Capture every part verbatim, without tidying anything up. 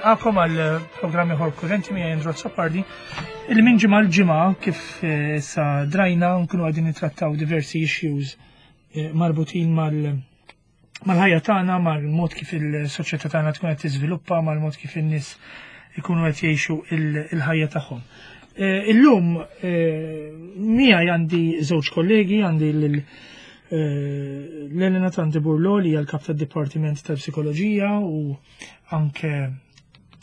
Nilqagħkom għal programm ieħor Kurrenti miegħi Andrew Azzopardi. Il minn ġimgħa l-ġimgħa kif eh, sa drajna nkunu qegħdin nittrattaw diversi issues eh, marbutin mal mal-ħajja tagħna, mal-mod kif il-soċjetà tagħna tkun qed tiżviluppa, mal-mod kif in-nies ikunu qed jgħixu il-ħajja tagħhom. Eh, illum miegħi għandi żewġ kollegi, għandi lil l-Elena Tanti Burlo li hija l-kap tad-Dipartiment tal-Psikoloġija u anke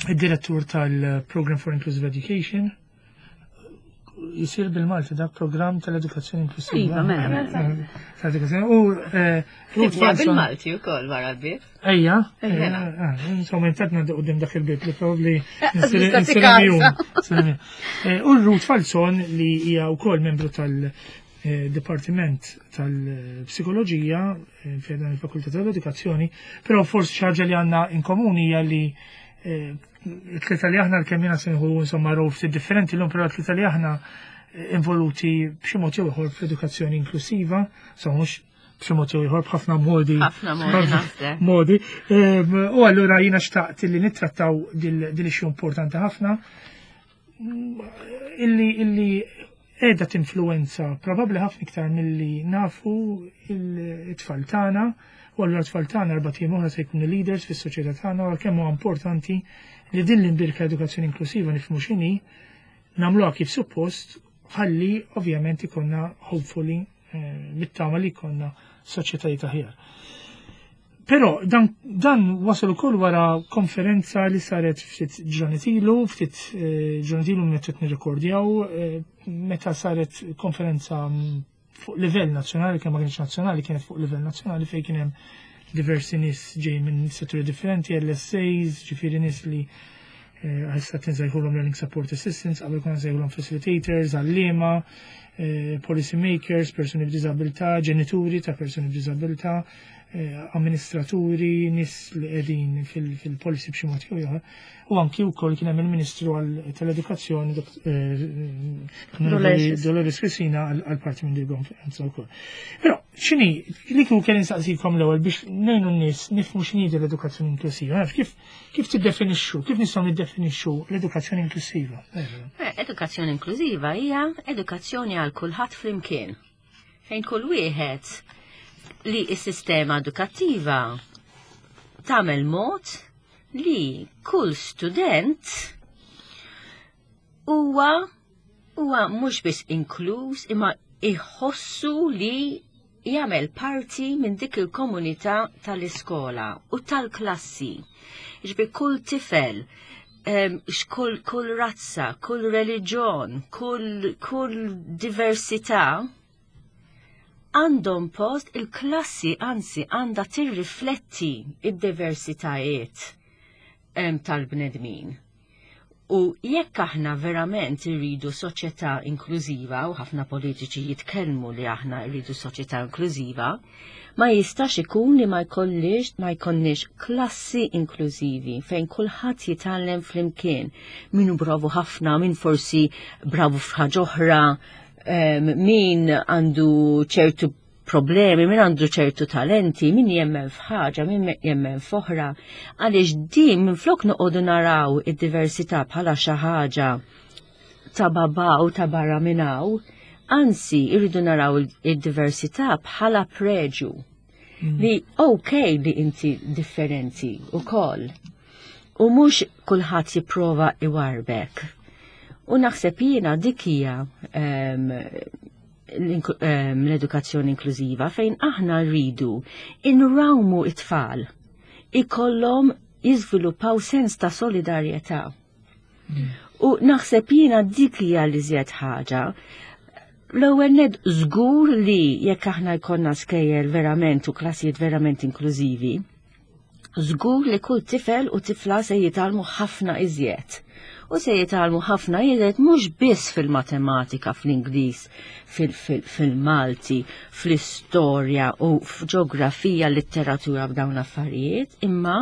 id-direttur tal-Program for Inclusive Education. Jisir bil-Malti dak program tal-edukazzjoni inklusiva. Iva, mela, mela. Tal-edukazzjoni. U eh, Ruth Falzon. Bil-Malti u koll wara l-bib. Ejja, Ejja. insomma, intatna qudiem dak il-bib li probabli Tista' tikkarza. U Ruth Falzon li hija wkoll membru tal- Dipartiment tal-Psikoloġija eh, fi dan il-Fakultà tal-Edukazzjoni, però forsi xi ħaġa li għandna in komuni hija li eh, t-tlieta li aħna l-kemm jiena se nieħu insomma rol ftit differenti l-lum, però t-tlieta li aħna eh, involuti b'xi mod jew ieħor fl-edukazzjoni inklusiva, so mhux b'xi mod jew ieħor, b'ħafna modi. Ħafna modi, naħseb. Modi. Em, U allura jiena xtaqt li nittrattaw dil issue importanti ħafna illi illi qiegħda tinfluwenza probabbli ħafna iktar milli nafu it-tfal tagħna, u allura t-tfal tagħna erbat ijiem oħra se jkunu leaders fis-soċjetà tagħna, u kemm huwa importanti li din l-imbierka edukazzjoni inklusiva nifhmu x'inhi, nagħmluha kif suppost, ħalli ovvjament ikollna, hopefully, eh, bit-tama li jkollna soċjetajiet aħjar. Però dan, dan wasal ukoll wara konferenza li saret ftit ġranet ilu, ftit eh, ġranet ilu meta qed nirrekordjaw, eh, meta saret konferenza mm, fuq livell nazzjonali, kemm ma kienx nazzjonali, kienet fuq livell nazzjonali fejn kien hemm diversi nies ġej minn setturi differenti, L S As, ġifieri nies li issa eh, nsejħulhom Learning Support Assistants, qabel konna nsejħulhom facilitators, għalliema, eh, policy makers, persuni b'diżabilità, ġenituri ta' persuni b'diżabilità, eh, amministraturi, nies li qegħdin fil-policy b'xi mod jew ieħor. U anki wkoll kien hemm il-Ministru tal-Edukazzjoni Dolores Cristina għal parti minn din konferenza wkoll. Però x'inhi li kieku kelli nsaqsikom l-ewwel biex ngħinu n-nies nifhmu x'inhi l-edukazzjoni inklusiva? Kif kif tiddefinixxu, kif nistgħu niddefinixxu l-edukazzjoni inklusiva? Eh, edukazzjoni inklusiva hija edukazzjoni għal kulħadd flimkien. Fejn kull wieħed li s-sistema edukattiva tagħmel mod li kull student huwa huwa mhux biss inkluż imma iħossu li jagħmel parti minn dik il-komunità tal-iskola u tal-klassi. Ġifieri kull tifel, kull, kull razza, kull reliġjon, kull, kull diversità għandhom post il-klassi, anzi għandha tirrifletti id-diversitajiet tal-bnedmin. U jekk aħna verament irridu soċjetà inklużiva, u ħafna politiċi jitkellmu li aħna rridu soċjetà inklużiva, ma jistax ikun li ma jkollix ma jkollniex klassi inklużivi fejn kulħadd jitgħallem flimkien. Min hu bravu ħafna, min forsi bravu f'ħaġa oħra, min għandu ċertu problemi, min għandu ċertu talenti, min jemmen f'ħaġa, min jemmen f'oħra. Għaliex din minn flok noqogħdu naraw id-diversità bħala xi ħaġa ta' baba u ta' barra minnaw, anzi irridu naraw id-diversità bħala preġu. Mm. Li ok li inti differenti u koll. U mhux kulħadd jipprova iwarbek. U naħseb jiena dik hija um, l-edukazzjoni inklużiva fejn aħna rridu inrawmu it-tfal ikollhom jiżviluppaw sens ta' solidarjetà. Mm. U naħseb jiena dik hija l-iżjed ħaġa. L-ewwel nett żgur li jekk aħna jkollna skejjel verament u klassijiet verament inklużivi, żgur li kull tifel u tifla se jitgħallmu ħafna iżjed. U se jitgħallmu ħafna iżjed mhux biss fil-matematika, fl-Ingliż, fil-Malti, fl-istorja u f'ġeografija, letteratura, b'dawn affarijiet, imma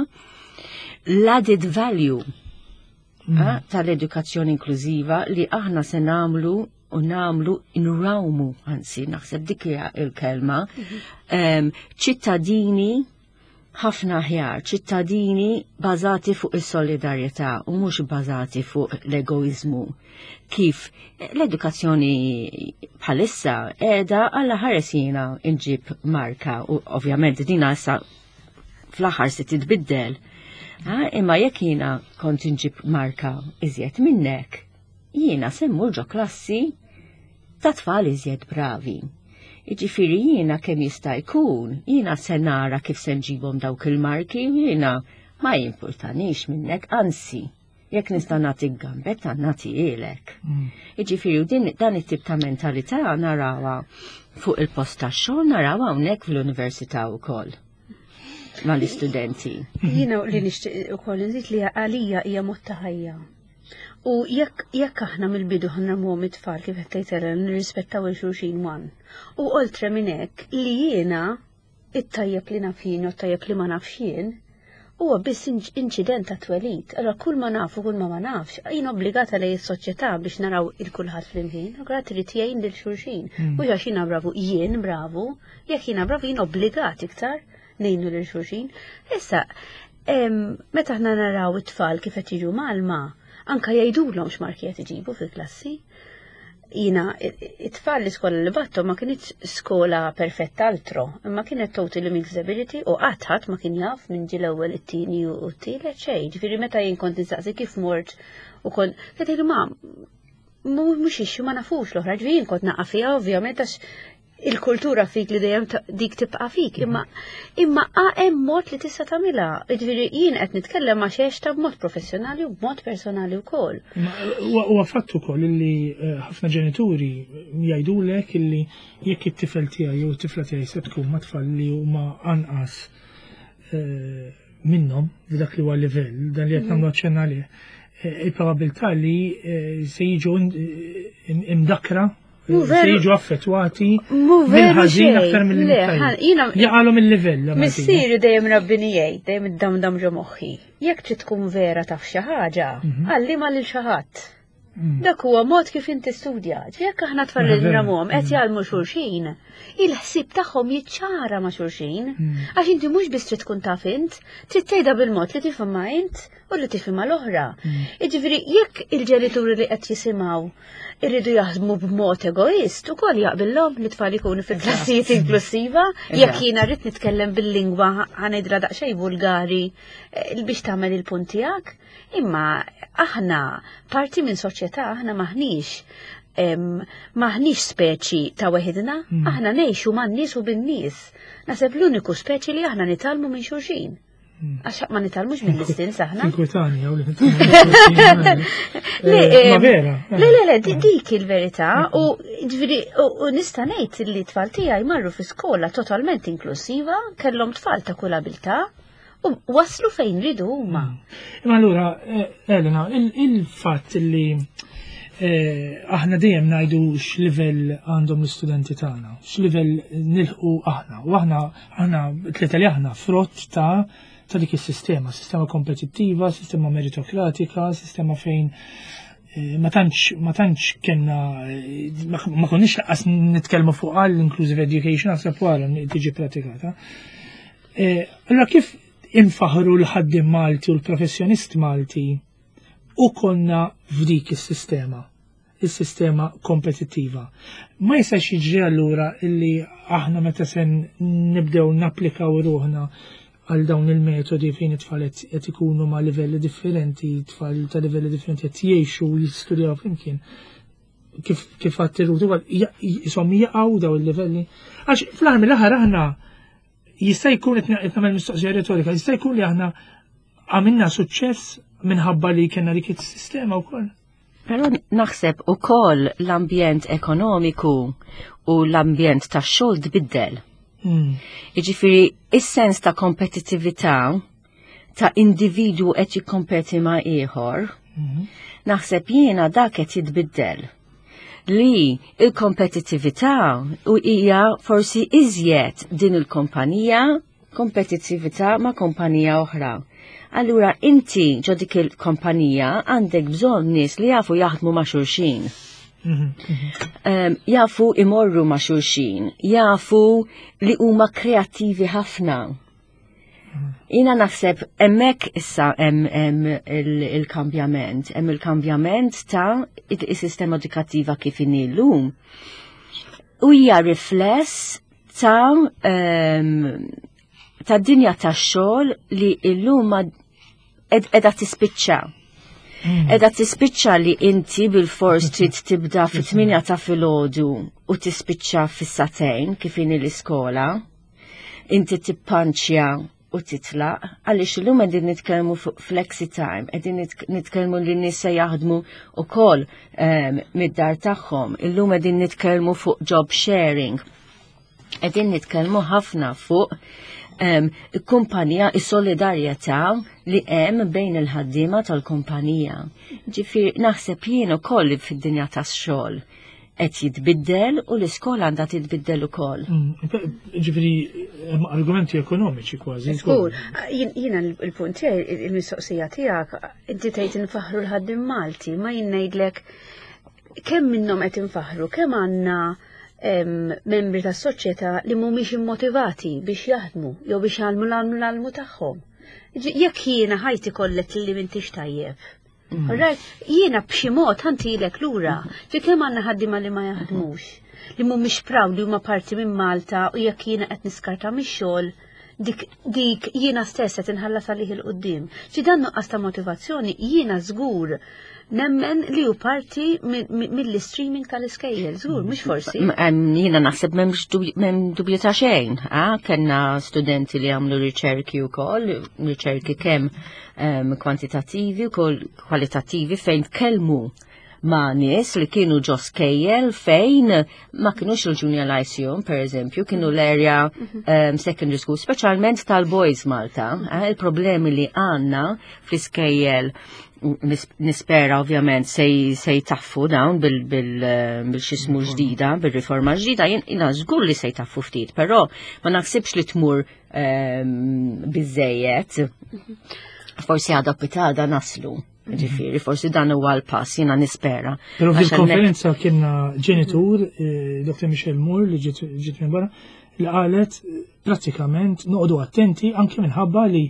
l-added value mm. eh, tal-edukazzjoni inklużiva li aħna se nagħmlu u nagħmlu nrawmu, anzi, naħseb dik hija il-kelma, mhm. ċittadini Ħafna aħjar, ċittadini bażati fuq is-solidarjetà u mhux bażati fuq l-egoizmu. Kif l-edukazzjoni bħalissa qiegħda għalla ħares jiena nġib marka u ovvjament dina issa fl-aħħar se titbiddel. Imma jekk jiena kont inġib marka iżjed minnek, jiena se mmur ġo klassi ta' tfal iżjed bravi. Jiġifieri jiena kemm jista' jkun, jiena se nara kif se nġibhom dawk il-marki u jiena ma jimpurtanix minnek, anzi, jekk nista' nagħtik gambetta nagħtihielek. Mm. Jiġifieri u din dan it-tip ta' mentalità narawha fuq il-post tax-xogħol, narawha hawnhekk fl-università wkoll mal-istudenti. Jiena li nixtieq ukoll nżid li għalija hija mod ta' ħajja. U jekk jekk aħna mill-bidu ħa ngħallmuhom it-tfal, kif qed tgħid, nirrispettaw lil xulxin one. U oltre minn hekk li jiena it-tajjeb li naf jien u t-tajjeb li ma nafx jien huwa biss inċident ta' twelid. Allora kull ma nafu, kull ma ma nafx, jien obbligata lejn is-soċjetà biex naraw il kulħadd flimkien, allura trid jgħin lil xulxin. Mm. Mhux għax jiena bravu, jien bravu, jekk jiena bravu jien obbligat iktar ngħinu lil xulxin. Issa, meta aħna naraw it-tfal kif qed jiġu mgħallma, anka jgħidulhom x'marki qed iġibu fil-klassi. Jiena, it-tfal l-iskola li bgħatthom ma kinitx skola perfetta altro, imma kienet totally mixed ability u qatt ħadd ma kien jaf minn ġie l-ewwel, it-tieni u t-tielet, xejn. Ġifieri meta jien kont nistaqsi kif mort u kont qed ma mhux issue, ma nafux l-oħra, ġifieri jien kont naqa' fiha ovvjament għax il-kultura fik li dejjem dik tibqa' fik, imma imma hemm mod li tista' tagħmilha. Ġifieri jien qed nitkellem ma' xejn b'mod professjonali u b'mod personali wkoll. Huwa fatt ukoll li eh, ħafna ġenituri jgħidulek illi jekk it-tifel tiegħi jew it-tifla tiegħi se tkun ma' tfal li huma anqas eh, minnhom f'dak li huwa livell, dan li qed nagħmlu aċċenna għalih, eh, il-probabilità li se jiġu imdakra, se jiġu affettwati mill-ħażin aktar mill Jaqalhom il-livell. Missieri dejjem rabbini jgħid, dejjem id-dam ġo moħħi. Jekk trid tkun vera taf xi ħaġa, mhm. għallimha lil xi ħadd. Mm. Dak huwa mod kif inti studja. Jekk aħna tfal li ngħallmuhom qed mm. jgħallmu xulxin, il-ħsieb tagħhom jiċċara ma' xulxin. Mm. Għax inti mhux biss trid tkun taf int, trid tgħidha bil-mod li tifhimha int u li tifhimha l-oħra. Jiġifieri jekk il-ġenituri li qed jisimgħu irridu jaħdmu b'mod egoist, ukoll jaqbillhom li tfal ikunu fil-klassijiet inklusiva, jekk jiena rrid nitkellem bil-lingwa, ħa ngħidha daqsxejn vulgari, eh, biex tagħmel il-punt tiegħek. Imma aħna parti minn soċjetà, aħna maħniex maħniex speċi ta' weħidna, mm. aħna ngħixu man-nies u bin-nies. Naħseb l-uniku speċi li aħna nitgħallmu minn xulxin. Mm. Għax ma nitgħallmux mill-istins aħna. Inkwetani, għaw li Le, Ma vera. Le, le, le, dik il-verità u ġifieri u nista' ngħid li tfal tiegħi marru fi skola totalment inklusiva, kellhom tfal ta' kull abilità u waslu fejn ridu huma. Imma allura, eh, Elena, il-fatt li eh, aħna dejjem ngħidu x'livell għandhom l-istudenti tagħna, x'livell nilħqu aħna, u aħna aħna tlieta li aħna frott ta' ta' dik is-sistema, sistema kompetittiva, sistema meritokratika, sistema fejn eh, ma tantx ma tantx kellna ma ma konniex lanqas nitkellmu fuq għall inclusive education, naħseb wara tiġi pratikata. Allora kif infaħru l-ħaddim Malti u l-professjonist Malti u konna f'dik is-sistema, is-sistema kompetittiva? Ma jistax jiġri allura illi aħna meta se nibdew napplikaw ruħna għal dawn il-metodi fejn it-tfal qed ikunu ma' livelli differenti, tfal ta' livelli differenti qed jgħixu u jistudjaw flimkien, kif kif għattiru jisom jaqgħu daw il-livelli? Għax fl-aħħar mill-aħħar aħna jista' jkun, qed nagħmel mistoqsija retorika, jista' jkun li aħna għamilna suċċess minħabba li kellna dik is-sistema wkoll. Però naħseb ukoll l-ambjent ekonomiku u l-ambjent tax-xogħol tbiddel. Mm. Jiġifieri is-sens ta' kompetittività ta' individu qed jikkompeti ma' ieħor, mm. naħseb jiena dak qed jitbiddel. Li il-kompetittività u hija forsi iżjed din il-kumpanija, kompetittività ma' kumpanija oħra. Allura inti ġo dik il-kumpanija għandek bżonn nies li jafu jaħdmu ma' xulxin. Um, jafu imorru ma' xulxin, jafu li huma kreattivi ħafna. Jiena naħseb hemmhekk issa hemm hemm il-kambjament, hemm il-kambjament ta' is-sistema edukattiva kif inhi llum. U hija rifless ta' ta' dinja tax-xogħol li llum qiegħda tispiċċa. Qiegħda tispiċċa li inti bil-fors trid tibda fit-tmienja ta' filgħodu u tispiċċa fis-sagħtejn kif inhi l-iskola. Inti tippanċja u titlaq, għaliex illum qegħdin nitkellmu fuq flexi time, qegħdin nitkellmu li nies se jaħdmu ukoll um, mid-dar tagħhom, illum qegħdin nitkellmu fuq job sharing. Qegħdin nitkellmu ħafna fuq um, kumpanija, is-solidarjetà li hemm bejn il-ħaddiema tal-kumpanija. Ġifieri naħseb jien ukoll fid-dinja tax-xogħol qed jitbiddel u l-iskola għandha titbiddel ukoll. Mm, ġifieri hemm argumenti ekonomiċi kważi. Żgur, jiena il-punt tiegħi il-mistoqsija tiegħek, inti tgħid infaħru l-ħaddiem Malti, ma jien ngħidlek kemm minnhom qed infaħru, kemm għandna membri tas-soċjetà li mhumiex immotivati biex jaħdmu jew biex jagħmlu l-għalmu l-għalmu tagħhom. Jekk jiena ħajti kollet li m'intix tajjeb. Mm. Right, jiena b'xi mod ħa ntilek lura, ġi kemm għandna ħaddiema li ma jaħdmux, li mhumiex proud li huma parti minn Malta u jekk jiena qed niskarta mix-xogħol, dik dik jiena stess qed inħallas għalih 'il quddiem. Ġi dan nuqqas ta' motivazzjoni jiena żgur nemmen li hu parti mill-streaming tal-iskejjel, żgur, mhux forsi. Jiena naħseb m'hemm dubju ta' xejn, kellna studenti li għamlu riċerki wkoll, riċerki kemm kwantitattivi u kwalitattivi fejn tkellmu ma' nies li kienu ġo skejjel fejn ma kienux il-Junior Lyceum, per eżempju, kienu l-area um, secondary school, speċjalment tal-boys Malta. Eh, il-problemi li għandna fl-iskejjel nispera ovvjament se jtaffu dawn bil-xismu ġdida, bil-riforma ġdida, jiena żgur li se jtaffu ftit, però ma naħsibx li tmur biżejjed. Forsi għada pitgħada naslu. Ġifieri, forsi dan huwa l-pass, jiena nispera. Però fil-konferenza kienna ġenitur, eh, Dottor Michelle Moore, li ġiet minn barra, li qalet eh, prattikament noqogħdu attenti anke minħabba li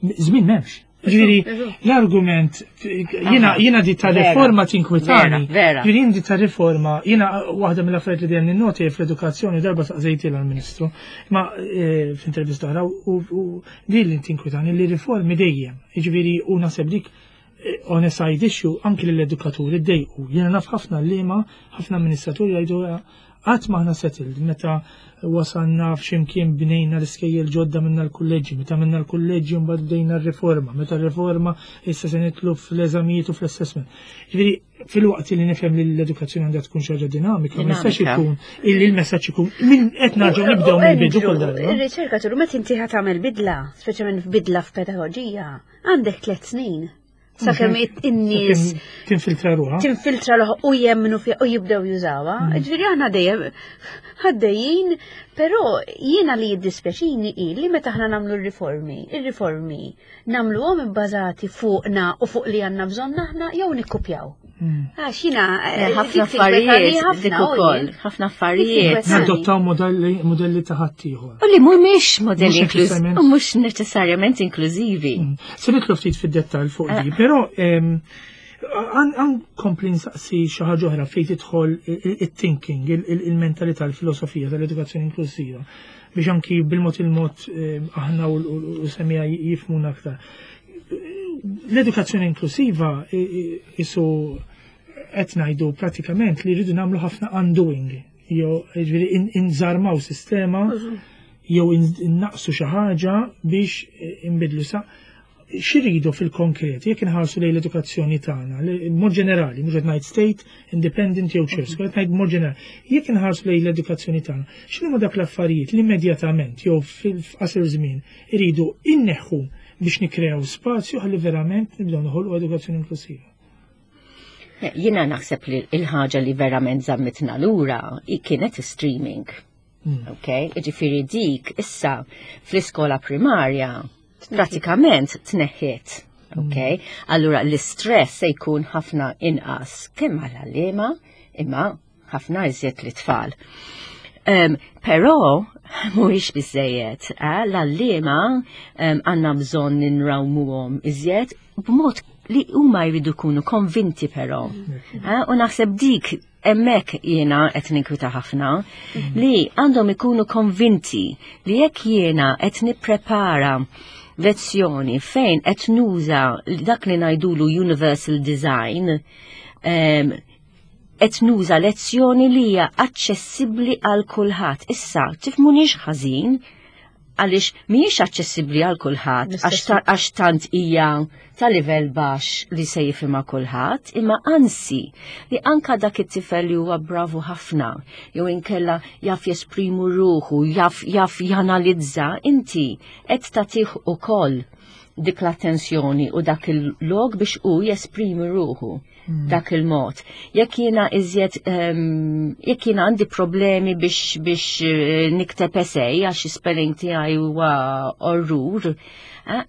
żmien m'hemmx. Ġifieri, l-argument, jiena jiena di ta' riforma tinkwitani. Vera. Ġifieri di ta' riforma, jiena waħda mill-affarijiet li dejjem ninnoti fl-edukazzjoni, darba saqsejtha l-Ministru, ma eh, f'intervista oħra, u din li tinkwitani li riformi dejjem. Ġifieri, u naħseb dik eh, on a side issue anki l-edukaturi ddejqu. Jiena naf ħafna għalliema, ħafna amministraturi jgħidu qatt m'aħna settled. Meta wasalna f'ximkien bnejna l-iskejjel ġodda minna l-kulleġġi, meta minna l-kulleġġi mbagħad bdejna r-riforma, meta r-riforma issa se nidħlu fl-eżamijiet u fl-assessment. Ġifieri fil-waqt li nifhem li l-edukazzjoni għandha tkun xi ħaġa dinamika, ma jistax ikun illi l-messaġġ ikun minn qed nerġgħu nibdew mill-bidu kull darba. Ir-riċerka turu meta inti ħa tagħmel bidla, speċjalment f'bidla f'pedagoġija, għandek tliet snin sakemm in-nies tinfiltra ruħha. Tinfiltra ruħha u jemmnu fiha u jibdew jużawha. Mm. Ġifieri aħna dejjem għaddejjin, però jiena li jiddispjaċini hi li meta aħna nagħmlu r-riformi, ir-riformi nagħmluhom ibbażati fuqna u fuq li għandna bżonn aħna jew nikkupjaw. Mm. Għax jiena eh, ħafna affarijiet dik ukoll, ħafna affarijiet. Nadottaw modelli modelli ta' ħaddieħor. U li mhumiex modelli inklużivi, u mhux neċessarjament inklużivi. Mm. Se nidħlu ftit fid-dettall fuq di, eh. però għan kompli nsaqsi xi ħaġa oħra fejn tidħol it-thinking, il-mentalità, il-filosofija tal-edukazzjoni inklusiva biex anki bil-mod il-mod aħna u semmiegħa jifhmuna aktar. L-edukazzjoni inklusiva isu qed ngħidu pratikament li rridu nagħmlu ħafna undoing, jew ġifieri inżarmaw sistema jew innaqsu xi ħaġa biex inbidlu sa x'iridu fil-konkret, jekk inħarsu lejn l-edukazzjoni tagħna, mod ġenerali, mhux qed ngħid state, independent jew church, qed ngħid mod ġenerali. Jekk inħarsu lejn l-edukazzjoni tagħna, x'inhuma dak l-affarijiet li immedjatament jew fil-qasir żmien iridu inneħħu biex nikrew spazju ħalli verament nibdew noħolqu edukazzjoni inklusiva? Jiena naħseb li il-ħaġa li verament żammitna lura kienet streaming. Mm. Ok, ġifieri dik issa fl-iskola primarja pratikament tneħħiet. Ok, mm. allura l-istress se jkun ħafna inqas kemm għall-għalliema imma ħafna iżjed lit-tfal. Um, però Mhuwiex biżejjed, eh? L-għalliema għandna bżonn ninrawmuhom iżjed b'mod li huma jridu jkunu konvinti però. Eh? U naħseb dik hemmhekk jiena qed ninkwita ħafna li għandhom ikunu konvinti li jekk jiena qed nipprepara lezzjoni fejn qed nuża dak li ngħidulu universal design, em, qed nuża lezzjoni li hija aċċessibbli għal kulħadd. Issa, tifhmunix ħażin, għaliex mhijiex aċċessibbli għal kulħadd għax ta- għax tant hija ta' livell baxx li se jifhimha kulħadd, imma anzi li anka dak it-tifel li huwa bravu ħafna, jew inkella jaf jesprimu ruħu, jaf jaf janalizza, inti qed tagħtih ukoll dik l-attenzjoni u dak il-log biex u jesprimi ruħu dak il-mod. Jekk jiena iżjed um, jekk jiena għandi problemi biex biex eh, nikteb essay għax spelling tiegħi huwa orrur, eh,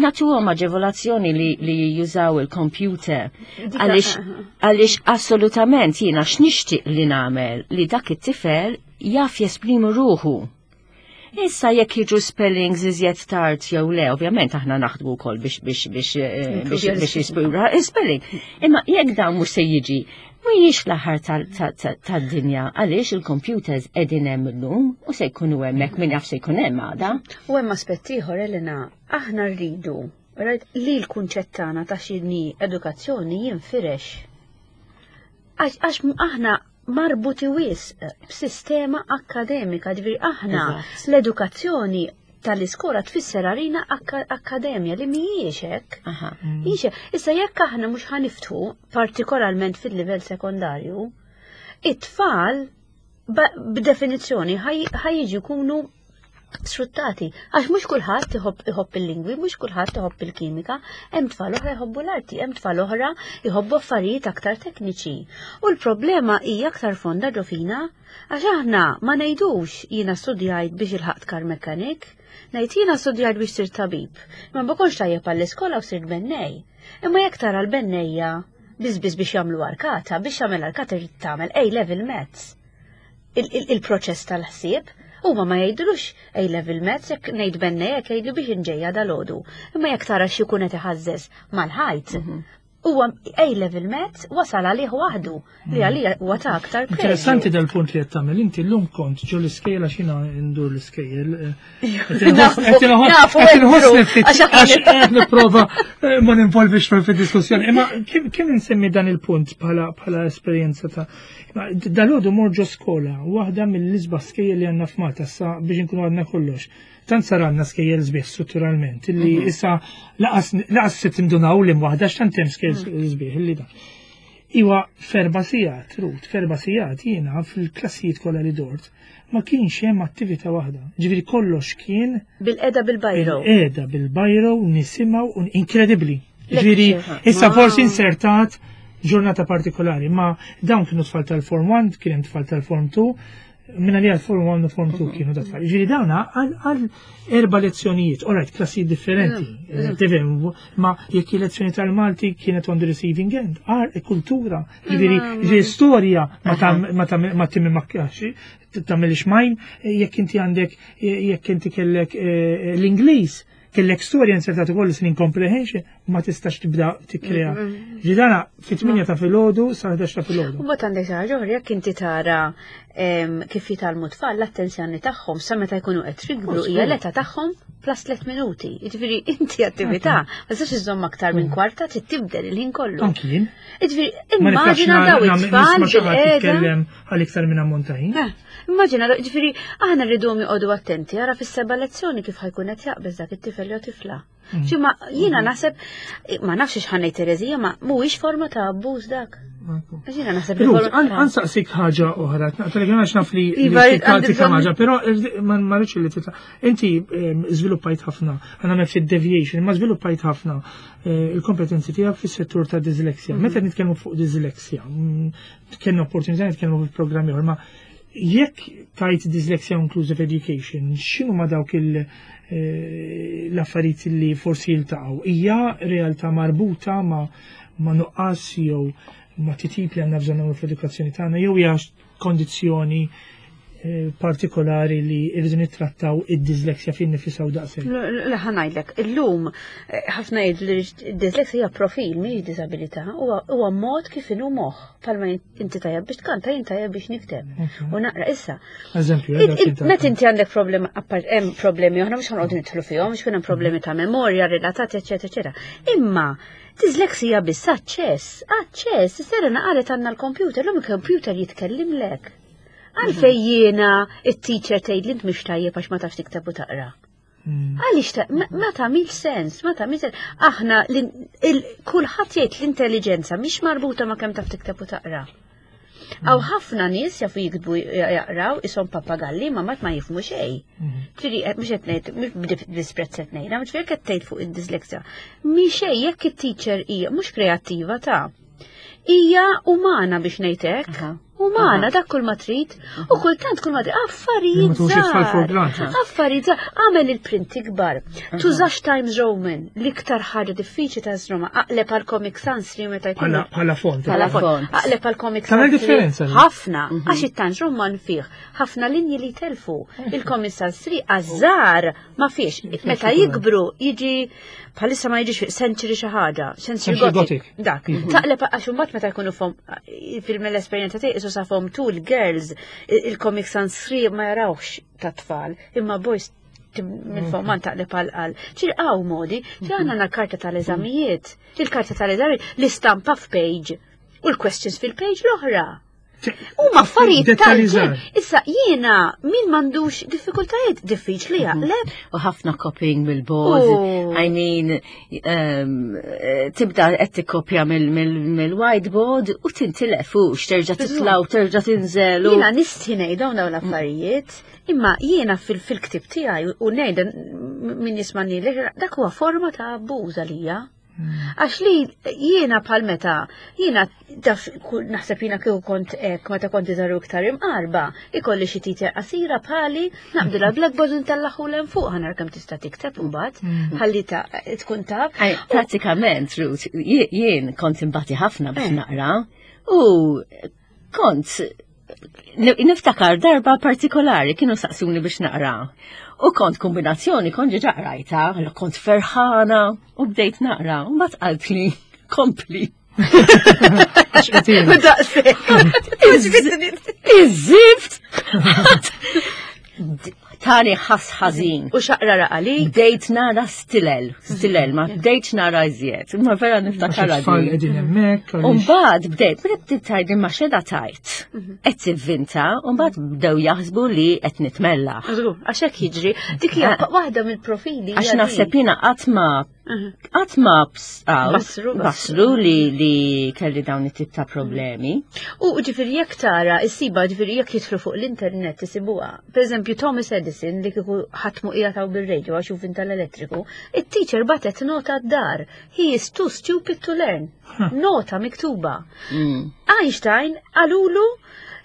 nagħtuhom aġevolazzjoni li, li jużaw il-computer. Għaliex għaliex assolutament jiena x'nixtieq li nagħmel li dak it-tifel jaf jesprimi ruħu. Issa jekk jiġu spellings iżjed tard jew le, ovvjament aħna naħdmu wkoll biex biex biex eh, biex biex jispura spelling. Imma jekk dan mhux se jiġi, mhijiex l-aħħar tad-dinja għaliex il-computers qegħdin hemm illum u se jkunu hemmhekk min jaf se jkun hemm għada. U hemm aspett ieħor Elena, aħna rridu right, li l-kunċett tagħna ta' x'inhi edukazzjoni jinfirex. Għax għax aħna marbuti wisq b'sistema akkademika, ġifieri aħna Eżatt. l-edukazzjoni tal-iskola tfisser għalina akka- akkademja li mhijiex hekk. Aha. Mhijiex hekk. Issa jekk aħna mhux ħa niftħu, partikolarment fil-livell sekondarju, it-tfal ba- b'definizzjoni ħa jiġu jkunu sfruttati. Għax mhux kulħadd iħobb iħobb il-lingwi, mhux kulħadd iħobb il-kimika, hemm tfal oħra jħobbu l-arti, hemm tfal oħra jħobbu affarijiet aktar tekniċi. U l-problema hija aktar fonda ġo fina, għax aħna ma ngħidux jiena studjajt biex ilħaqt car mechanic, ngħid jiena studjajt biex sirt tabib. Ma ma kontx tajjeb għall-iskola u sirt bennej. Imma jekk tara l-bennejja biss biss biex jagħmlu arkata, biex jagħmel arkata trid tagħmel A-level maths. Il-proċess tal-ħsieb huma ma jgħidulux A-level maths jekk ngħid bennej jekk jgħidlu biex inġejja dal-għodu. Imma jekk tara xi jkun qed iħażżeż mal-ħajt, huwa A-level maths wasal għalih waħdu li għalija huwa ta' aktar Interessanti preġju. dal-punt li qed tagħmel. Inti llum kont ġo l-iskejjel għax jiena ndur l-iskejjel. Nafu, nafu, Qed inħossni Andrew, ftit għax aħna- għax qed nipprova eh, ma ninvolvix fid-diskussjoni. Imma kif kif insemmi dan il-punt bħala bħala esperjenza ta' imma dalgħodu mort ġo skola, waħda mill-isbaħ skejjel li għandna f'Malta sa biex inkunu għadna kollox. Tant sar għandna skejjel sbieħ strutturalment illi issa laqas laqas se tindunaw li waħda x'tant hemm skejjel sbieħ illi dan. Iwa f'erba' sigħat, Ruth, f'erba' sigħat jiena fil-klassijiet kollha li dort, ma kienx hemm attività waħda. Ġifieri kollox kien Bil-qeda bil-bajro. bil-qeda bil-bajro nisimgħu un inkredibbli. Ġifieri Lecture. issa Wow. forsi insertat ġurnata partikolari, ma dawn kienu tfal tal-Form one, kien hemm tfal tal-Form two, minna li għal-Form one u Form two kienu da tfal. Ġifieri dawna għal għal erba' lezzjonijiet, alright, klassijiet differenti, eh, tifhem, ma jekk il-lezzjoni tal-Malti kienet on the receiving end, ar kultura, ġifieri ġifieri storja ma tam ma tam ma timmi makkaxi, tagħmel xmajn, jekk inti għandek jekk inti kellek eh, l-Ingliż, kellek storja insertat ukoll listening comprehension, ma tistax tibda tikkrea. Ġidana fit-tmienja ta' filgħodu sa ħdax ta' filgħodu. U mbagħad għandek xi ħaġa oħra jekk inti tara em, kif jitgħallmu tfal l-attenzjoni tagħhom sa meta jkunu qed jikbru hija l-età tagħhom plus tliet minuti. Jiġifieri inti attività ma tistax iżżomm aktar minn kwarta trid tibdel il-ħin kollu. Anki jien. Jiġifieri Ma niflaħx immaġina daw na- it-tfal nisma' xi ħadd bil-qiegħda. jitkellem għal iktar minn ammont ta' ħin. Eh, Immaġina, ġifieri, aħna rridu joqogħdu attenti, ara fis-seba' lezzjoni kif ħa jkun qed jaqbeż dak it-tifel jew tifla. Ġi ma jiena naħseb, ma nafx x'ħa ngħid Terezija, ma mhuwiex forma ta' abbuż dak. Għax Jiena naħseb li Ruth, forma għan nsaqsik ħaġa oħra, naqtalek għax naf li Iva, li għandi tika bżonn- ħaġa, però ma ma rridx li titla. Inti em, żviluppajt ħafna, għana me ftit deviation, ma żviluppajt ħafna eh, il-kompetenzi tiegħek fis-settur ta' dyslexia. Meta nitkellmu fuq dyslexia, mm, kellna opportunità nitkellmu fil-programmi oħra, ma jekk tajt dyslexia inclusive education, x'inhu ma dawk il- eh, l-affarijiet li forsi jiltaqgħu? Hija realtà marbuta ma ma nuqqas jew ma titjib li għandna bżonn nagħmlu fl-edukazzjoni tagħna jew hija kondizzjoni eh, partikolari li rridu nittrattaw id-disleksja fin nifisha u daqshekk. Le, ħa ngħidlek, illum eh, ħafna jgħidu li d-disleksja hija profil mhix diżabilità, huwa huwa mod kif inhu moħħ. Palma inti tajjeb biex tkanta, jien tajjeb biex nikteb. Ok. U naqra issa. Eżempju, Id- id- Meta inti għandek problema, appart hemm problemi oħra mhux ħa noqogħdu nidħlu fihom, mhux hemm problemi ta' memorja relatati, eċetera, eċetera. Imma disleksija biss aċċess, aċċess, Serena qalet għandna l-computer, l-lum il-computer jitkellimlek. Għalfejn jiena it-teacher tgħid li int mhix tajjeb għax ma tafx tikteb u taqra. Għaliex ta' ma ma tagħmilx sens, ma tagħmilx sens. Aħna l- il- kulħadd jgħid l-intelligenza mhix marbuta ma' kemm taf tikteb u taqra. Hawn ħafna nies jafu jiktbu jaqraw ishom papagalli ma mat ma jifhmu xejn. Ġifieri, eh, mhux qed ngħid, mhux b'disprezz qed ngħidha, mhux qed tgħid fuq id-disleksja. Mi xejn jekk it-teacher hija mhux kreattiva ta' hija umana biex ngħid hekk. Aha. Umana dak kull ma trid u kultant kull ma trid affarijiet Ma tuħux it-tfal for żgħar. granted. Affarijiet żgħar. Għamel il-print ikbar. Tużax Times Roman, l-iktar ħaġa diffiċli ta' Roma, aqleb għal Comic Sans li meta jkun Bħala bħala font. Bħala Bħala font. Aqleb għal Comic Tagħmel Sans. differenza li. Ħafna, għax it-Times Roman fih ħafna linji li telfu. Il-Comic Sans tlieta għaż-żgħar ma fiex. Meta jikbru jiġi bħalissa ma jiġix Century xi ħaġa, Century Century Gothic. Gothic. Dak, taqleb għax imbagħad meta jkunu form fil-esperjenza tiegħi isu sa form two girls il-Comic Sans tlieta ma jarawx ta' tfal, imma boys minn form one taqleb għal għal. Ċir hawn modi, ċir għandna l-karta tal-eżamijiet, il-karta tal-eżamijiet, l-istampa f'page u l-questions fil-page l-oħra. Huma affarijiet Dettalji tal-ġen. żgħar. Issa jiena min m'għandux diffikultajiet diffiċli jaqleb. U ħafna copying mill-board. Oh. I mean, um, eh, tibda qed tikkopja mill-whiteboard u tintilef u x'terġa' titla' u terġa' tinżel. u- Jiena nistħi ngħidhom dawn l-affarijiet, imma jiena fil-ktib tiegħi u ngħidha min jismani dak huwa forma ta' abbuż għalija. Għax li jiena bħal meta, jiena taf naħseb jiena kieku kont hekk meta kont iżaru iktar imqarba, ikolli xi titja qasira bħali, naqbdilha blackboard ntellaħu 'l fuq ħa nara kemm tista' tikteb imbagħad, ħalli ta' tkun taf. Ay, Pratikament, Ruth, jie- jien kont imbati ħafna biex Eh. naqra u kont niftakar darba partikolari kienu saqsuni biex naqra. U kont kombinazzjoni, kont ġa qrajta, allora kont ferħana u bdejt naqra. U mbagħad qaltli, kompli. Għax qed U daqshekk. Iż-żift! Tani ħas ħażin. U xaqra raqali. Bdejt nara stilel, stilel, ma bdejt nara iżjed. Ma vera niftakar Tfal din. qegħdin hemmhekk. għaliex- Umbagħad bdejt, bdejt bdejt tgħidli ma xeda tajt. Qed tivvinta, umbagħad bdew jaħsbu li qed nitmellaħ. Żgur, għax hekk jiġri. Dik hija waħda mill-profili. Għax hija naħseb din. jiena qatt ma qatt ma bs- aw, Basru, basru li li kelli dawn it-tip ta' problemi. U ġifieri jekk tara, issiba ġifieri jekk jidħlu fuq l-internet isibuha. Per eżempju, Thomas Edison li kieku ħatmu qiegħed bil-radio għax hu tal-elettriku, it-teacher batet nota d-dar. He is too stupid to learn. Nota miktuba. Mm. Einstein qalulu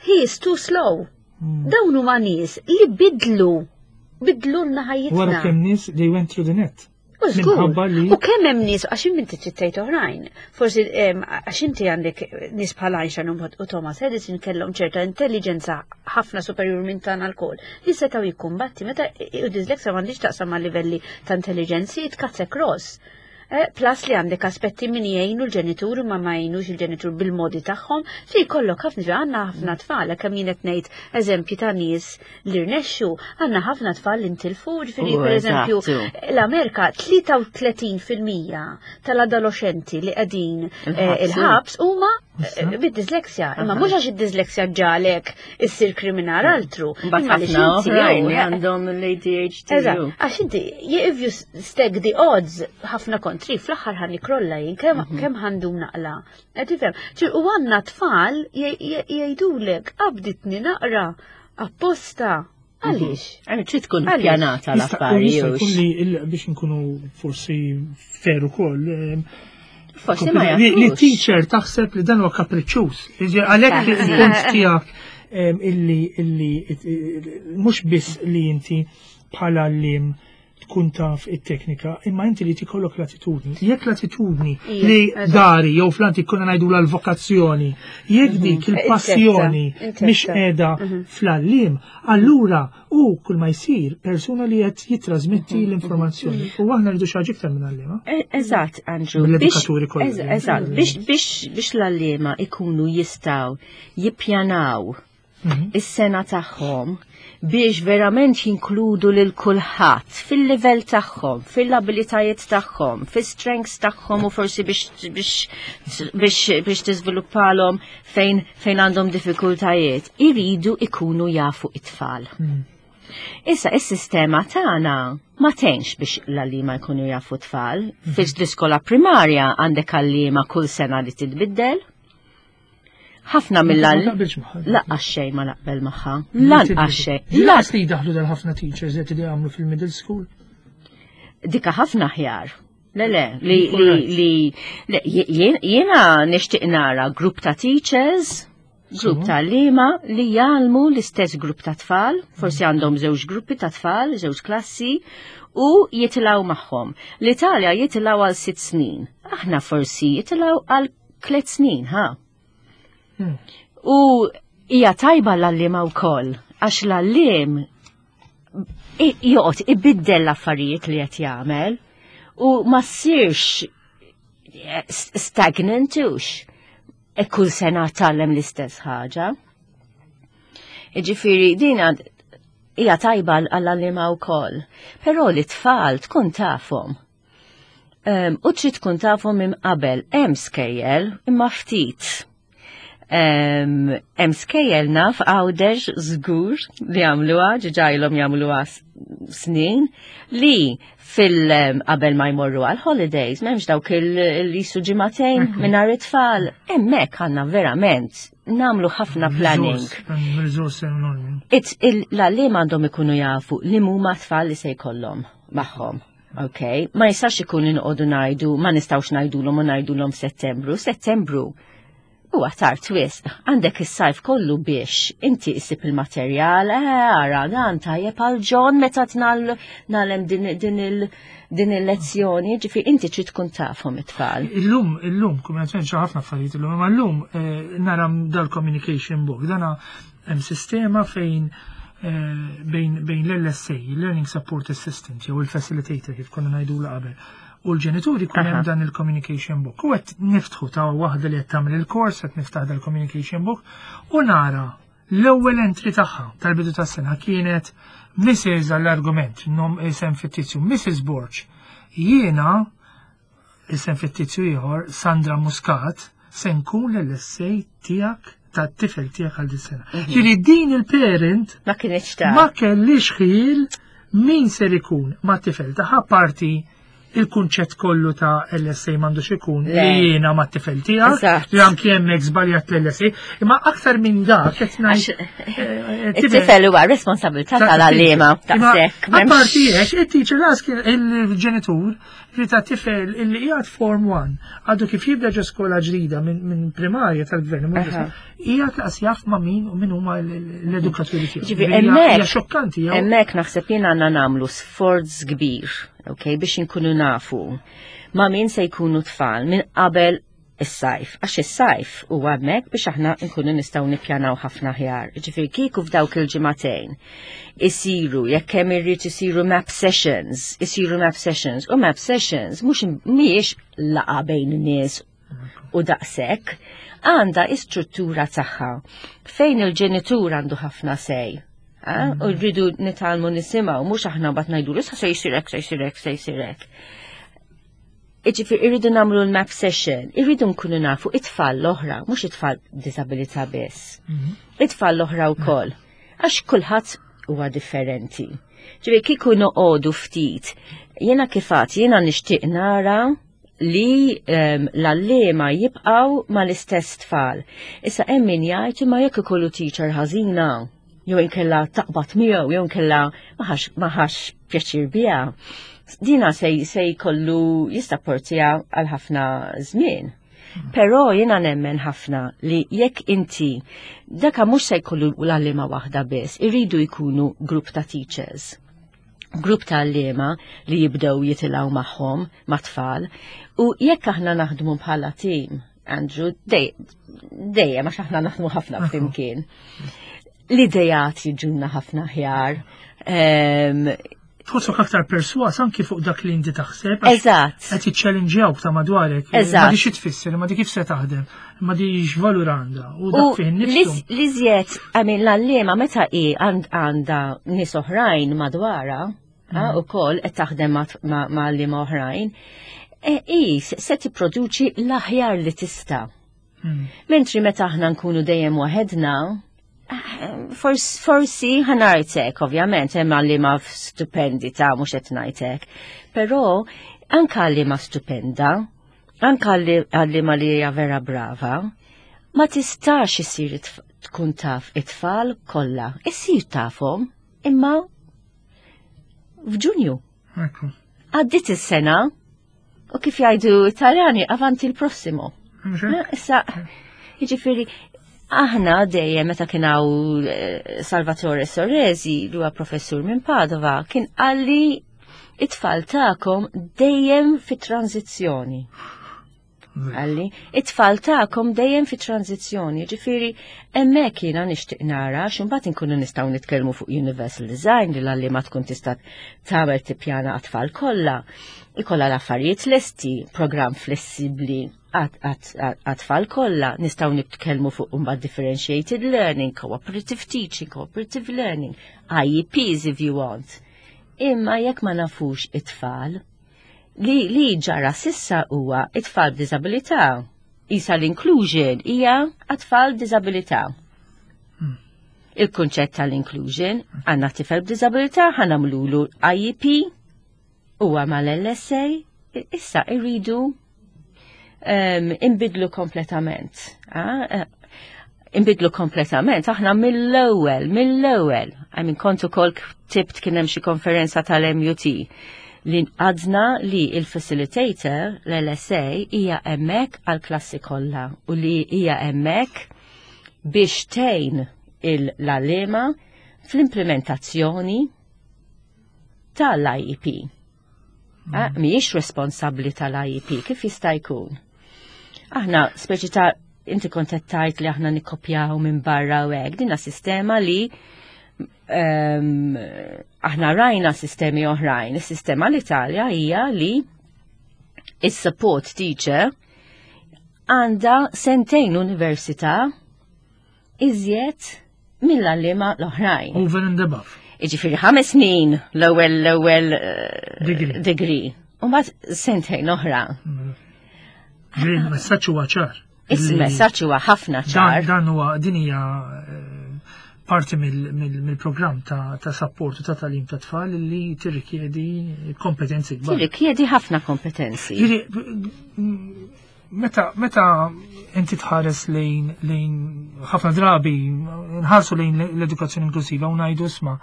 he is too slow. Dawn huma nies li bidlu bidlu lna Wara ħajjitna. kemm nies they went through the net. U żgur. Minħabba li U kemm hemm nies għax inti ċittejt oħrajn. Forsi em, għax inti għandek nies bħal Einstein u u Thomas Edison kellhom ċerta intelligenza ħafna superjur minn tagħna lkoll li setgħu jikkumbatti meta u dyslexia m'għandix taqsam ma' livelli ta' intelligenzi it cuts across. Eh, plus li għandek aspetti min jgħinu l-ġenitur ma ma jgħinux il-ġenitur bil-modi tagħhom, fi jkollok ħafna ġa għandna ħafna tfal, kemm jien qed ngħid eżempji ta' nies li rnexxu, għandna ħafna tfal li ntilfu, ġifieri U, per eżempju eżattu. l-Amerika tlieta u tletin fil-mija tal-adolescenti li qegħdin eh, Il-ħabs. il-ħabs huma eh, bid-disleksja. Imma mhux għax id-disleksja ġalek issir kriminal altru. Mbagħad Imma għaliex ħafna inti oħrajn jew, li eh, għandhom l-A D H D. Eżatt, għax inti, if you stack the odds ħafna kontri, fl-aħħar ħa nikrolla jien, kemm kemm ħa ndum naqla. Qed tifhem? Ċir, u għandna tfal jgħidulek qabditni naqra apposta. Għaliex? Għajmi trid tkun Għaliex? pjanata Jista' u jista' l-affari. jkun li il- biex nkunu forsi fair ukoll. em, Forsi ma Li li jafux. teacher taħseb li dan huwa kapriċċuż. Jiġi Għalhekk il-punt tiegħek em, illi illi mhux biss li inti bħala għalliem tkun taf it-teknika, imma inti li tikollok l-attitudni. Jekk l-attitudni Ija, li eżatt. dari jew fl-antik konna ngħidu l-vokazzjoni, jekk dik il-passjoni Intetta, mhix intetta. qiegħda fl-għalliem, allura u kull ma jsir persuna li qed jitrasmetti l-informazzjoni. U aħna rridu xi ħaġa iktar minn għalliema. E- Eżatt, Andrew. Mill-edukaturi Biex- kollha. eż- Eżatt, biex biex biex l-għalliema ikunu jistgħu jippjanaw Mhm. is-sena tagħhom biex verament jinkludu lil kulħadd fil-livell tagħhom, fil-abilitajiet tagħhom, fis-strengths tagħhom u forsi biex biex biex biex tiżviluppalhom fejn fejn għandhom diffikultajiet, iridu ikunu jafu it-tfal. Mhm. Issa, is-sistema tagħna ma tgħinx biex l-għalliema jkunu jafu tfal. Fil-iskola primarja għandek għalliema kull sena li titbiddel. Ħafna Ma mill-għall taqbilx magħha. Lanqas xejn ma naqbel magħha. Lanqas xejn. Lanqas li jdaħlu dal-ħafna teachers qed li jagħmlu fil-middle school. Dika ħafna ħjar. Le, le, li, li, li, le, jien- jiena nixtieq nara grupp ta' teachers, grupp ta' għalliema li jgħallmu l-istess grupp ta' tfal, forsi għandhom żewġ gruppi ta' tfal, żewġ klassi, u jitilgħu magħhom. L-Italja jitilgħu għal sitt snin. Aħna forsi jitilgħu għal tliet snin, ha? Hmm. U hija tajba l-għalliema wkoll, għax l-għalliem i- joqgħod ibiddel l-affarijiet li qed jagħmel u ma ssirx eh, stagnant ux. E kull sena tgħallem l-istess ħaġa. Iġifieri din għad- hija tajba għall-għalliema wkoll. Però li tfal tkun tafhom. Um, u trid tkun tafhom minn qabel hemm skejjel imma ftit. Um, hemm skejjel naf Għawdex żgur li jagħmluha, diġà ilhom jagħmluha s- snin, li fil em, qabel ma jmorru għal holidays, m'hemmx dawk il-lisu ġimagħtejn mingħajr it-tfal. Hemmhekk għandna verament nagħmlu ħafna planning. Resource enormi. It's il- l-għalliema għandhom ikunu jafu li huma tfal li se jkollhom magħhom. Ok, ma jistax ikun inqogħdu ngħidu, ma nistgħux ngħidulhom u ngħidulhom f'Settembru. Settembru huwa tard wisq. Għandek is-sajf kollu biex inti issib il-materjal, eh, ara dan tajjeb għal John meta tnal nagħlem din din il din il-lezzjoni, ġifieri inti trid tkun tafhom it-tfal. Illum, illum, kumma ċa ħafna affarijiet illum, imma illum eh, nara dal-communication book, dana hemm sistema fejn eh, bejn bejn l-L S A, Learning Support Assistant, jew il-Facilitator kif konna ngħidu qabel. U l-ġenituri kun hemm Aha. dan il-communication book. U qed niftħu ta' waħda li qed tagħmel il-kors, qed niftaħ dal-communication book u nara l-ewwel entry tagħha tal-bidu tas-sena kienet Missus għall-argument, nom isem fittizju, Missus Borg. Jiena isem fittizju ieħor, Sandra Muscat, se nkun l-L S A tiegħek tat-tifel tiegħek għal dis-sena. Ġifieri din il-parent Ma kienx ta' ma kellix ħil min ser ikun ma tifel tagħha, parti il-kunċett kollu ta' L S A m'għandux ikun Le. li jiena ma tifel tiegħek, Eżatt. li anki hemmhekk żbaljat l-L S A, imma aktar minn dak qed ngħid Għax eh, it-tifel huwa responsabilità tal-għalliema Imma daqshekk. M'hemmx- apparti hekk, it-teacher ask il-ġenitur li ta' tifel illi qiegħed form one, għadu kif jibda ġo skola ġdida minn min primarja tal-gvern, Aha. qiegħed laqas jaf ma' min u min huma l- l-edukaturi tiegħu. Ġifieri, Hija- hemmhekk- hija xokkanti, jew Hemmhekk naħseb jien għandna nagħmlu sforz kbir, ok, biex inkunu nafu ma' min se jkunu tfal minn qabel is-sajf. Għax is-sajf huwa hemmhekk biex aħna nkunu nistgħu nippjanaw ħafna ħjar. Ġifieri kieku f'dawk il-ġimagħtejn isiru, jekk hemm irrid isiru map sessions, isiru map sessions, u map sessions mhux mhijiex laqgħa bejn nies u daqshekk, għandha istruttura tagħha fejn il-ġenitur għandu ħafna say. Ah, u rridu nitgħallmu nisimgħu, mhux aħna bat ngħidu issa se jsir hekk, se jsir hekk, se jsir hekk. Iġifieri irridu nagħmlu l-map session, irridu nkunu nafu it-tfal l-oħra, mhux it-tfal b'diżabilità biss. It-tfal l-oħra wkoll. Għax kulħadd huwa differenti. Ġifieri kieku noqogħdu ftit, jiena kif għedt, jiena nixtieq nara li um, l-għalliema jibqgħu mal-istess tfal. Issa hemm min jgħid imma jekk ikollu teacher ħażina, jew inkella taqbad miegħu, jew inkella ma ħax ma ħax pjaċir biha. Dina se se jkollu jistapportija għal ħafna żmien. Però jiena nemmen ħafna li jekk inti daka mhux se jkollu l-għalliema waħda biss, irridu jkunu grupp ta' teachers. Grupp ta' għalliema li jibdew jitilgħu magħhom ma' tfal u jekk aħna naħdmu bħala team, Andrew, dejjem għax aħna naħdmu ħafna flimkien. L-idejat jiġuna ħafna aħjar. Tħossok aktar perswas anki fuq dak li inti taħseb. Eżatt. Qed jiċċellinġjawk ta' madwarek. Eżatt. Ma di xi tfisser, ma di kif se taħdem, ma di x'valur għandha. U dak fih innifsu. L-iżjed, I mean, l-għalliema meta hi għandha nies oħrajn madwarha, mm. ukoll qed taħdem ma' għalliema oħrajn, e, hi se tipproduċi l-aħjar li tista'. Mm. Mentri meta aħna nkunu dejjem waħedna, forsi ħa ngħidlek, ovvjament, hemm għalliema stupendi ta' mhux qed ngħidlek. Però anka għalliema stupenda, anka għalliema li hija vera brava, ma tistax isir tkun taf it-tfal kollha. Issir tafhom, imma f'Ġunju. Għaddit is-sena u kif jgħidu Italjani avanti il prossimo. Issa, jiġifieri, aħna dejjem meta kien hawn eh, Salvatore Soresi, li huwa professur minn Padova, kien qalli it-tfal tagħkom dejjem fi tranzizzjoni. Qalli, it-tfal tagħkom dejjem fi tranzizzjoni, ġifieri hemmhekk jiena nixtieq nara x'imbagħad inkunu nistgħu nitkellmu fuq universal design li l-għalliema tkun tista' tagħmel tippjana għat-tfal kollha. Ikollha l-affarijiet lesti, programm flessibbli għat-tfal kollha, nistgħu nitkellmu fuq imbagħad differentiated learning, cooperative teaching, cooperative learning, I E Ps if you want. Imma jekk ma nafux it-tfal, li li ġara s'issa huwa it-tfal b'diżabilità. Issa l-inclusion hija għat-tfal b'diżabilità. Hmm. Il-kunċett tal-inclusion, għandna tifel b'diżabilità, ħa nagħmlulu I E P, huwa mal-L S A, issa irridu um, imbidlu kompletament. Ah, eh, imbidlu kompletament, aħna mill-ewwel, mill-ewwel. I mean, kont ukoll ktibt, kien hemm xi konferenza tal-M U T li għadna li il-facilitator, l-L S A, hija hemmhekk għal-klassi kollha u li hija hemmhekk biex tgħin l-għalliema fl-implementazzjoni tal-I E P. Ah, mhijiex responsabbli tal-I E P, kif jista' jkun? Aħna, speċi ta' inti kont qed tgħid li aħna nikkopjaw minn barra u hekk, dinna sistema li um, aħna rajna sistemi oħrajn. Is-sistema l-Italja hija li is-support teacher għandha sentejn università iżjed mill-għalliema l-oħrajn. Over and above. Iġifieri ħames snin l-ewwel l-ewwel eh, Degree. Degree. U mbagħad sentejn oħra. Ġifieri il-messaġġ huwa ċar. Is-messaġġ huwa ħafna Dan, ċar. Dan huwa din hija eh, parti mill- mill- mill-programm ta' ta' support u ta' tagħlim ta' tfal li tirrikjedi kompetenzi kbar. Tirrikjedi ħafna kompetenzi. Ġifieri, meta meta inti tħares lejn lejn ħafna drabi nħarsu lejn l-edukazzjoni inklusiva u ngħidu isma'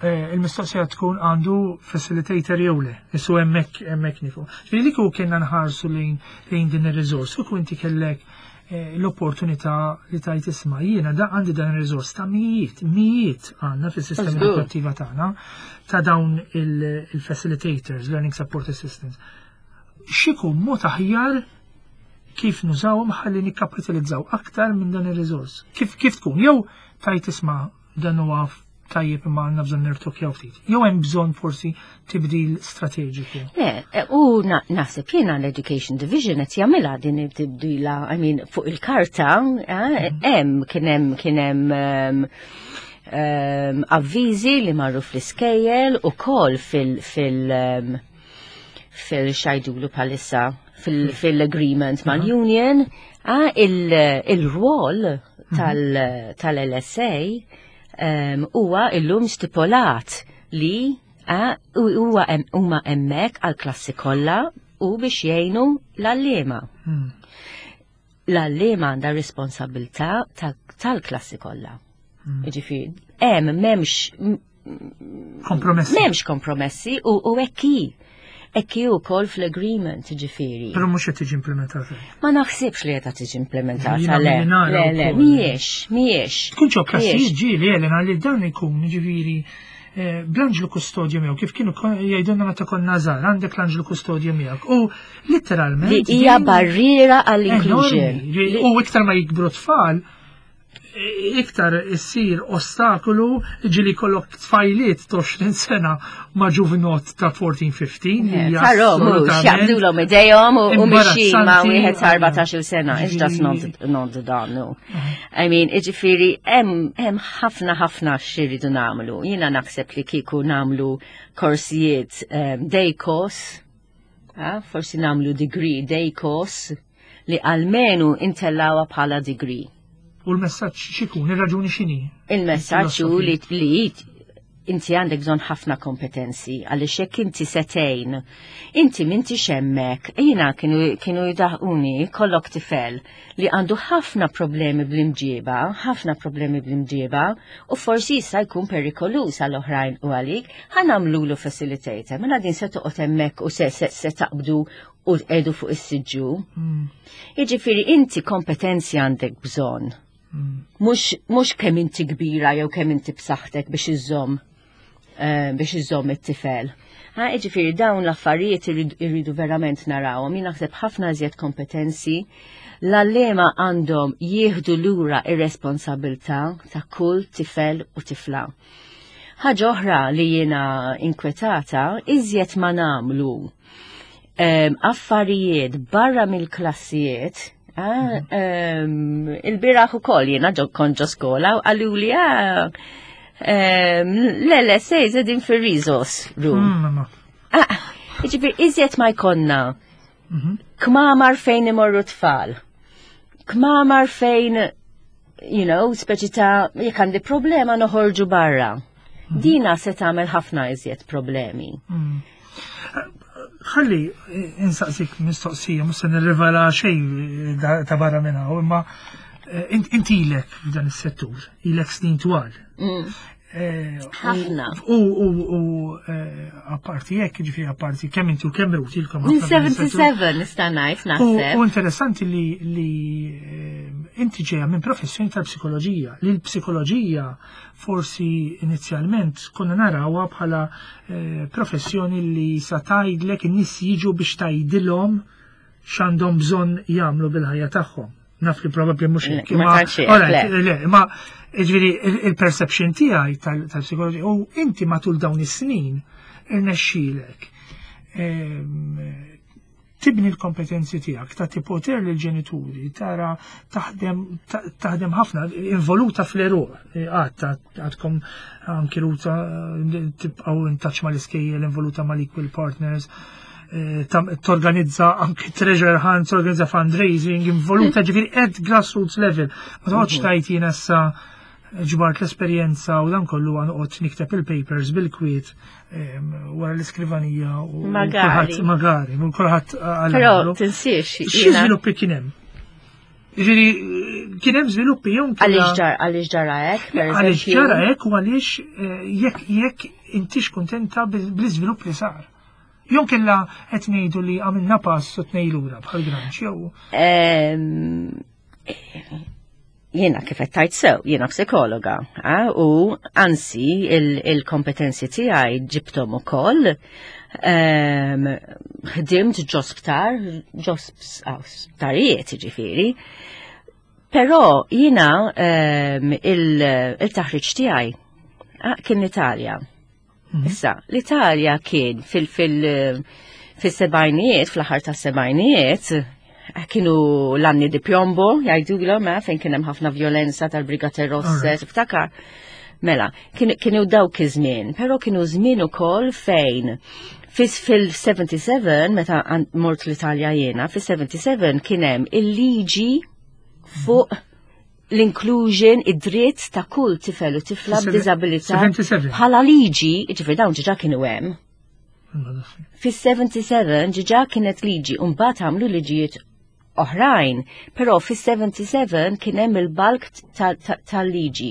eh, il-mistoqsija tkun għandu facilitator jew le, issu hemmhekk hemmhekk nifu. Ġifieri li kieku kienna nħarsu lejn lejn din ir-riżors, kieku inti kellek eh, l-opportunità li tajt isma' jiena da għandi dan ir-riżors ta' mijiet, mijiet għandna fis-sistema Żgur. edukattiva tagħna ta' dawn il- il-facilitators, learning support assistants. X'ikun mod aħjar kif nużawhom ħalli nikkapitalizzaw aktar minn dan ir-riżors? Kif kif tkun? Jew tajt isma' dan huwa tajjeb imma għandna bżonn nirtokjaw ftit. Jew hemm bżonn forsi tibdil strateġiku. Le, e, u na- naħseb jiena l-Education Division qed jagħmilha din it-tibdila, I mean, fuq il-karta, eh, hemm kien hemm kien hemm ehm, ehm, avviżi li marru fl-iskejjel ukoll fil fil ehm, fil x'jgħidulu bħalissa fil- fil-agreement mal-union, ah, il- il-rwol tal- tal-L S A um, huwa illum stipulat li ah, u- huwa hemm- huma hemmhekk għall-klassi kollha u biex jgħinu l-għalliema. Hmm. L-għalliema għandha responsabilità ta- tal-klassi kollha. Jiġifieri, hemm m'hemmx Kompromessi. M'hemmx kompromessi u u hekk hi. Hekk hi wkoll fl-agreement, ġifieri. Però mhux qed tiġi implementata. Ma naħsibx li qed tiġi implementata, Jiena le. milli nara Le, le, wkoll. mhijiex, mhijiex. Tkun ġo klassijiet Mhijiex. ġieli, Elena, li dan ikun ġifieri eh, bl-anġlu kustodju miegħu, kif kienu jgħidulna meta konna żgħar, għandek l-anġlu kustodju miegħek. U literalment Li hija barriera għall-inclusion. U iktar ma jikbru tfal, iktar issir ostakolu, ġieli kollok tfajliet ta' għoxrin sena ma' ġuvinot ta' erbatax fiftax. Tarom, mhux, jaqbdulhom idejhom u mixin ma' wieħed ta' erbatax-il sena. It's just not, not done, no. I mean, iġifieri, hemm ħafna ħafna x'irridu nagħmlu. Jiena naħseb li kieku nagħmlu korsijiet um, day course, forsi nagħmlu degree day course, li almenu intellgħuha bħala degree. U l-messaġġ x'ikun, ir-raġuni x'inhi? Il-messaġġ hu li li inti għandek bżonn ħafna kompetenzi, għaliex jekk inti setejn, inti minti xemmek, jiena kienu, kienu jidaħquni, kollok tifel li għandu ħafna problemi bl-imġieba, ħafna problemi bl-imġieba, u forsi jista' jkun perikolus għal oħrajn u għalik, ħa nagħmlulu facilitator, mela din se toqgħod hemmhekk u se, se, se taqbdu u tqegħdu fuq is-siġġu. Mm. Jiġifieri inti kompetenzi għandek bżonn. Mhux, mhux kemm inti kbira jew kemm inti b'saħħtek biex iżżomm eh, biex iżżomm it-tifel. Ha, jiġifieri dawn l-affarijiet irridu verament narawhom. Jien naħseb ħafna iżjed kompetenzi. L-għalliema għandhom jieħdu lura ir-responsabilità ta' kull tifel u tifla. Ħaġa oħra li jiena inkwetata, iżjed ma nagħmlu um, affarijiet barra mill-klassijiet. Ah, um, il-bieraħ ukoll jiena ġo kont ġo skola u qaluli, ah, um, l-L S A qegħdin fil-resource room. Mm, ma. Ah, jiġifieri, iżjed ma jkollna Mhm. kmamar fejn imorru tfal. Kmamar fejn, you know, speċi ta' jekk għandi problema noħorġu barra. Dina se tagħmel ħafna iżjed problemi. Mm. Ħalli eh, insaqsik mistoqsija, mhux se nirrivela xejn eh, da- ta' barra minn hawn, imma eh, int int ilek f'dan is-settur, ilek snin twal. Eh, u- Ħafna. U u u eh, apparti hekk, ġifieri apparti kemm inti u kemm Ruth ilkom Minn ħafna f'dan is-settur. sebgħa u sebgħin nista' ngħid U naħseb. u interessanti li li eh, inti ġejja minn professjoni tal-psikoloġija, li l-psikoloġija forsi inizjalment konna narawha bħala eh, professjoni li sa tgħidlek, in-nies jiġu biex tgħidilhom x'għandhom bżonn jagħmlu bil-ħajja tagħhom. Naf li probabbli mhux Le, hekk. ma imma- tantx hekk, Alright, le. le, ma ġifieri il-perception tiegħi tal- tal-psikoloġija u inti matul dawn is-snin irnexxielek ehm, tibni l-kompetenzi tiegħek, tagħti poter lill-ġenituri, tara taħdem ta- taħdem ħafna, involuta fl-eruq, għad għadkom anki Ruta tibqgħu in touch mal-iskejjel, involuta mal-equal partners, eh, tam- torganizza anki treasure hunt, torganizza fundraising, involuta ġifieri at grassroots level. Ma toqgħodx tgħid jiena issa ġbart l-esperjenza u dan kollu għan noqgħod nikteb il-papers bil-kwiet em, wara l-iskrivanija u Magari. kulħadd- magari, u kulħadd għal Però għamlu. tinsiex Xi jiena żviluppi kien hemm? Ġifieri kien hemm żviluppi jew għaliex kella- ġar għaliex ġara hekk, per Għaliex eżempju. ġara hekk u għaliex eh, jekk jekk intix kontenta bil- bl-iżvilupp li sar. Jew kella qed ngħidu li għamilna pass u tnejn lura bħal granċ jew Ehm, Jiena kif qed tgħid sew, jiena psikologa, ah, u anzi il-kompetenzi tiegħi ġibthom ukoll. Ehm, Ħdimt ġo sptar, ġo sp- sptarijiet ġifieri. Però jiena ehm, il- il-taħriġ tiegħi ah, kien l-Italja. Issa, l-Italja kien fil- fil- fil-sebgħinijiet, fl-aħħar ta' sebgħinijiet, kienu l-anni di piombo, jgħidulhom, eh, fejn kien hemm ħafna violenza tal-Brigate Rosse, Alright. tiftakar. Mela, kienu, kienu dawk iż-żmien, però kienu żmien ukoll fejn fis fil-sebgħa u sebgħin, meta għan- mort l-Italja jiena, fil-sebgħa u sebgħin kien hemm il-liġi fuq l-inclusion, id-dritt ta' kull tifel u tifla b'diżabilità sebgħa u sebgħin. bħala liġi, ġifieri dawn ġiġa kienu hemm. Fis-sebgħa u sebgħin ġiġa kienet liġi, u mbagħad għamlu liġijiet oħrajn, però fis-sebgħa u sebgħin kien hemm il-bulk tal-liġi.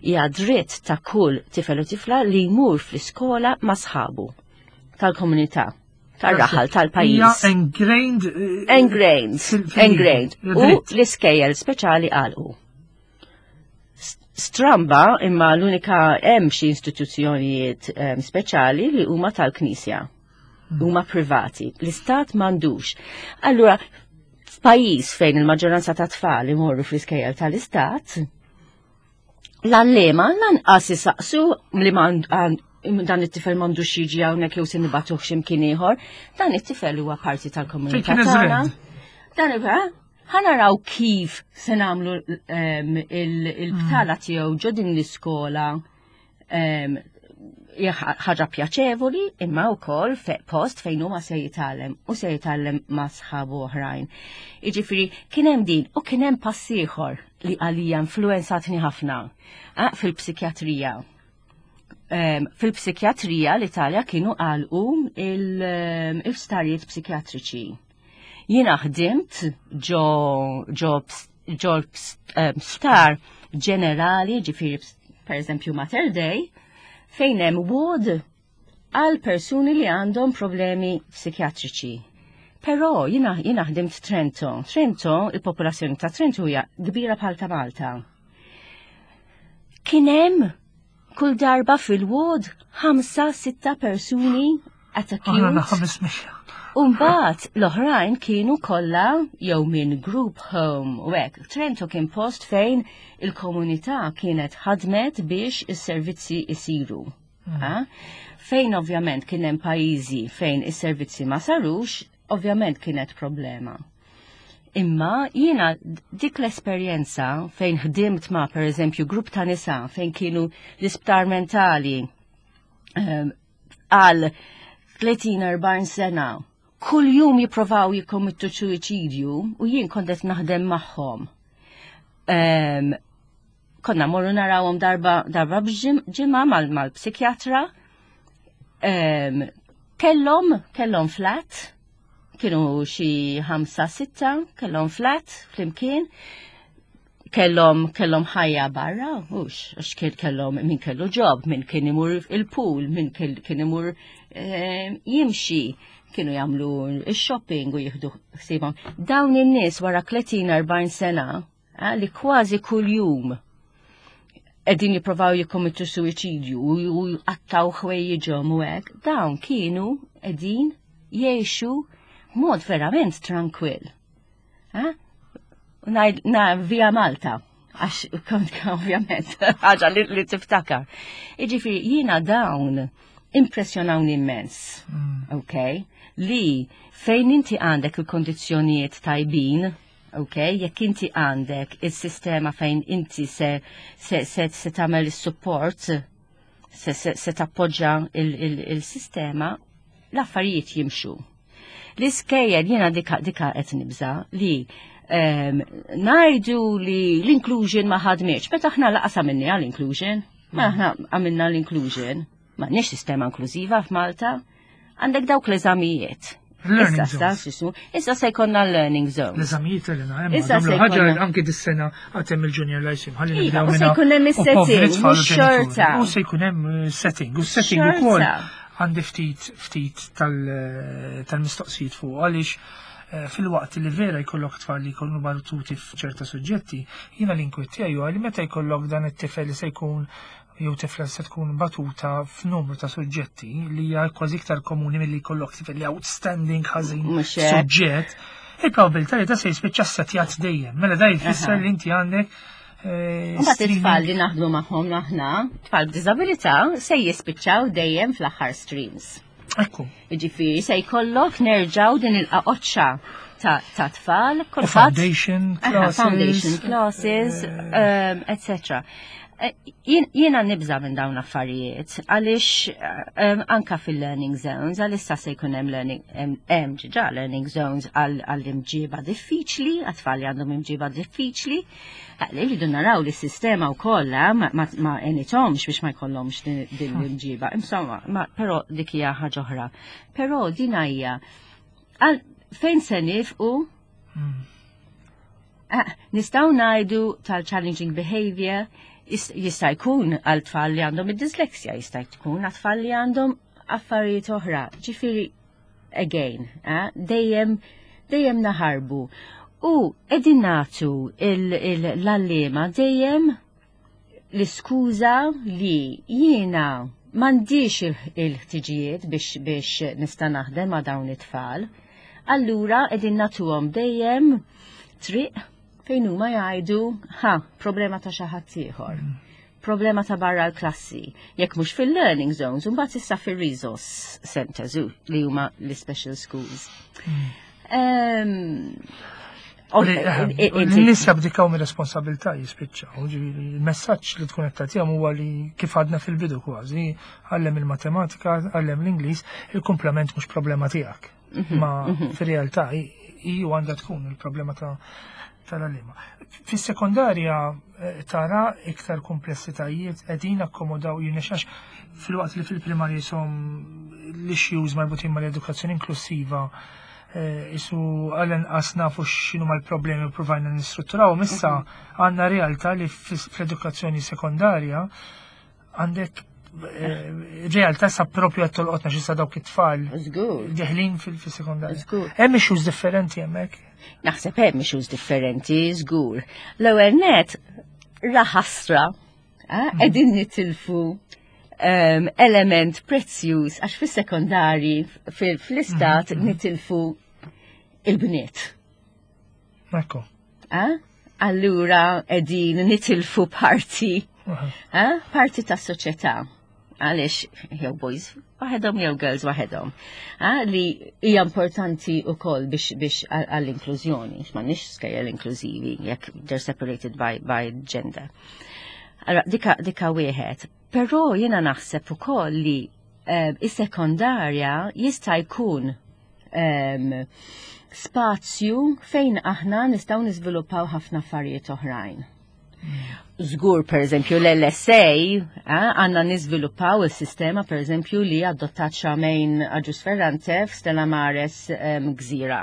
Hija dritt ta' kull tifel u tifla li jmur fl-iskola ma' sħabu tal-komunità, tar-raħal, tal-pajjiż. Hija ingrained. eh, Ingrained, fil- fil-liġi. ingrained. U Dritt. l-iskejjel speċjali għalqu. Stramba, imma l-unika hemm xi istituzzjonijiet em, speċjali li huma tal-Knisja. Huma privati. L-istat m'għandux. Allura, f'pajjiż fejn il-maġġoranza ta' tfal imorru fl-iskejjel tal-istat, l-għalliema lanqas isaqsu li m'għand- għand- dan it-tifel m'għandux jiġi hawnhekk jew se nibagħtuh x'imkien ieħor, dan it-tifel huwa parti tal-komunità Fejn kien tagħna. eżred. Dan huwa ħa naraw kif se nagħmlu em, il- il-btala tiegħu ġo din l-iskola em, hija ħaġa pjaċevoli imma wkoll fe post fejn huma se jitgħallem u se jitgħallem ma' sħabu oħrajn. Jiġifieri kien hemm din u kien hemm pass ieħor li għalija influenzatni ħafna ah, fil-psikjatrija. Em, Fil-psikjatrija l-Italja kienu għalqu il-isptarijiet psikjatriċi. Jiena ħdimt ġo ġo ps- ġo ps- em, sptar ġenerali, ġifieri per eżempju Mater Dei, fejn hemm ward għal persuni li għandhom problemi psikjatriċi. Però jiena jiena ħdimt Trento. Trento, il-popolazzjoni ta' Trento hija kbira bħal ta' Malta. Kien hemm kull darba fil-ward ħamsa, sitta persuni at Aħna acute. ħames mija. Umbagħad l-oħrajn kienu kollha jew minn group home u hekk. Trento kien post fejn il-komunità kienet ħadmet biex is-servizzi isiru. Ah? Fejn ovvjament kien hemm pajjiżi fejn is-servizzi ma sarux, ovvjament kienet problema. Imma jiena dik l-esperjenza fejn ħdimt ma' per eżempju grupp ta' nisa fejn kienu l-isptar mentali ehm, għal tletin erbgħin sena kull jum jipprovaw jikkommittu suwiċidju u jien kont qed naħdem magħhom. Ehm, konna morru narawhom darba darba b'ġimgħa mal-psikjatra. Ehm, kellhom kellhom flat, kienu xi ħamsa sitta, kellhom flat flimkien, kellhom kellhom ħajja barra, hux, għax kien kellhom min kellu job, min kien imur il-pool, min kien imur eh, jimxi, kienu jagħmlu il-shopping u jieħdu ħsiebhom. Dawn in-nies wara tletin erbgħin sena eh, li kważi kuljum qegħdin jipprovaw jikkommittu suwiċidju u u jqattaw ħwejjiġhom u hekk, dawn kienu qegħdin jgħixu mod verament trankwill. Eh? U ngħid na via Malta, għax kont ovvjament ħaġa li, li tiftakar. Jiġifieri jiena dawn impressjonawni immens. Ok? Li fejn inti għandek il-kondizzjonijiet tajbin, ok? Jekk inti għandek il-sistema fejn inti se, se, se, se tagħmel il-support, se, se, se tappoġġa il-sistema, l-affarijiet jimxu. L-iskejjel jiena dika dika qed nibża li um, ngħidu li l-inclusion ma ħadmitx, meta aħna lanqas għamilna l-inclusion, ma aħna għamilna l-inclusion, m'għandniex sistema inklużiva f'Malta, għandek dawk l-eżamijiet. Learning Issa, zones. x'ismu, issa se jkollna learning zones. L-eżamijiet Elena, hemm Issa nagħmlu se ħaġa jkollna- anki dis-sena għad hemm il-junior lyceum. Ħalli Iva, nibdew u se minna jkun hemm u is-setting, poveri tfal u mhux ġenituri. xorta. U se jkun hemm eh, setting, u setting Xorta. ukoll għandi ftit ftit tal- tal-mistoqsijiet fuq għaliex eh, fil-waqt li vera jkollok tfal li jkunu batuti f'ċerta suġġetti, jiena l-inkwiet tiegħi huwa li meta jkollok dan it-tifel li se jkun jew tifla se tkun batuta f'numru ta' suġġetti li hija kważi iktar komuni milli jkollok tifel li outstanding ħażin Mhux hekk. suġġett, il-probabilità li ta' se jispiċċa setjat dejjem. Mela da jfisser Aha. li inti għandek eh, Mbagħad streaming. it-tfal li naħdmu magħhom aħna, tfal b'diżabilità, se jispiċċaw dejjem fl-aħħar streams. Ekku. Ġifieri se jkollok nerġaw din il-qaqoċċa ta' ta' tfal, U kulħadd foundation Aha, classes. Foundation classes, um, et cetera. Eh, jien- Jiena nibża minn dawn affarijiet, għaliex um, anka fil-learning zones, għalissa se jkun hemm learning, hemm hemm ġiġa learning zones għal għall-imġiba diffiċli, għat-tfal li għandhom imġiba diffiċli, Li rridu naraw li s-sistema wkoll eh, ma, ma, ma għenithomx biex ma jkollhomx din din l-imġiba. Insomma, ma, però dik hija ħaġa oħra. Però din hija għal- fejn se nifqu. Mm. Ah, nistgħu ngħidu tal-challenging behavior jis- jista' jkun għal tfal li għandhom id-dyslexia, jista' jkun għal tfal li għandhom affarijiet oħra. Ġifieri, again, eh, dejjem dejjem naħarbu. U qegħdin nagħtu l-għalliema dejjem L-iskuża li jiena m'għandix il-ħtiġijiet biex biex nista' naħdem ma' dawn it-tfal. Allura qegħdin nagħtuhom dejjem triq fejn huma jgħidu, "Ha, problema ta' xi ħadd ieħor. Problema ta' barra l-klassi." Jekk mhux fil-learning zones, mbagħad issa fil-resource centers li huma l-special schools. Um, N-nies jabdikaw mir-responsabilità, jispiċċaw, ġifieri il-messaġġ li tkun qed tagħtihom huwa li, kif għadna fil-bidu kważi, għallem il-matematika, għallem l-Ingliż, il-komplement mhux problema tiegħek. Mhm, Ma mhm. fir-realtà iju għandha tkun il-problema ta' tal-għalliema. Fis-sekondarja eh, tara iktar komplessitajiet qegħdin akkomodaw jirnexax, filwaqt li fil-primarja jisom l-issues marbutin mal-edukazzjoni inklusiva eh, isu għal-inqas nafu x'inhu mal-problemi u provajna nistrutturaw. Issa mhm. għandna realtà li fl-edukazzjoni sekondarja għandek eh, realtà sa propju qed tolqotna xi dawk it-tfal deħlin fil-sekondarja. Hemm issues differenti hemmhekk? Naħseb hemm issues differenti, żgur. L-ewwel net raħasra eh, mhm. qegħdin nitilfu um, element prezzjuż għax fis-sekondari fl-istat mhm, mhm. nitilfu il-bniet. Ekku. Allura qegħdin nitilfu parti, parti tas soċjetà għaliex jew boys waħedhom jew girls waħedhom. Li hija importanti wkoll biex biex għall-inklużjoni, m'għandniex skejjel inklużivi jekk they're separated by, by gender. Allora, dika, dika wieħed. Però jiena naħseb ukoll li um, is-sekondarja jista' jkun um, spazju fejn aħna nistgħu niżviluppaw ħafna affarijiet oħrajn. Żgur, per eżempju, l-L S A, għandna niżviluppaw il-sistema, per eżempju, li adottat Charmaine Agius Ferrante f'Stella Maris um, Gżira,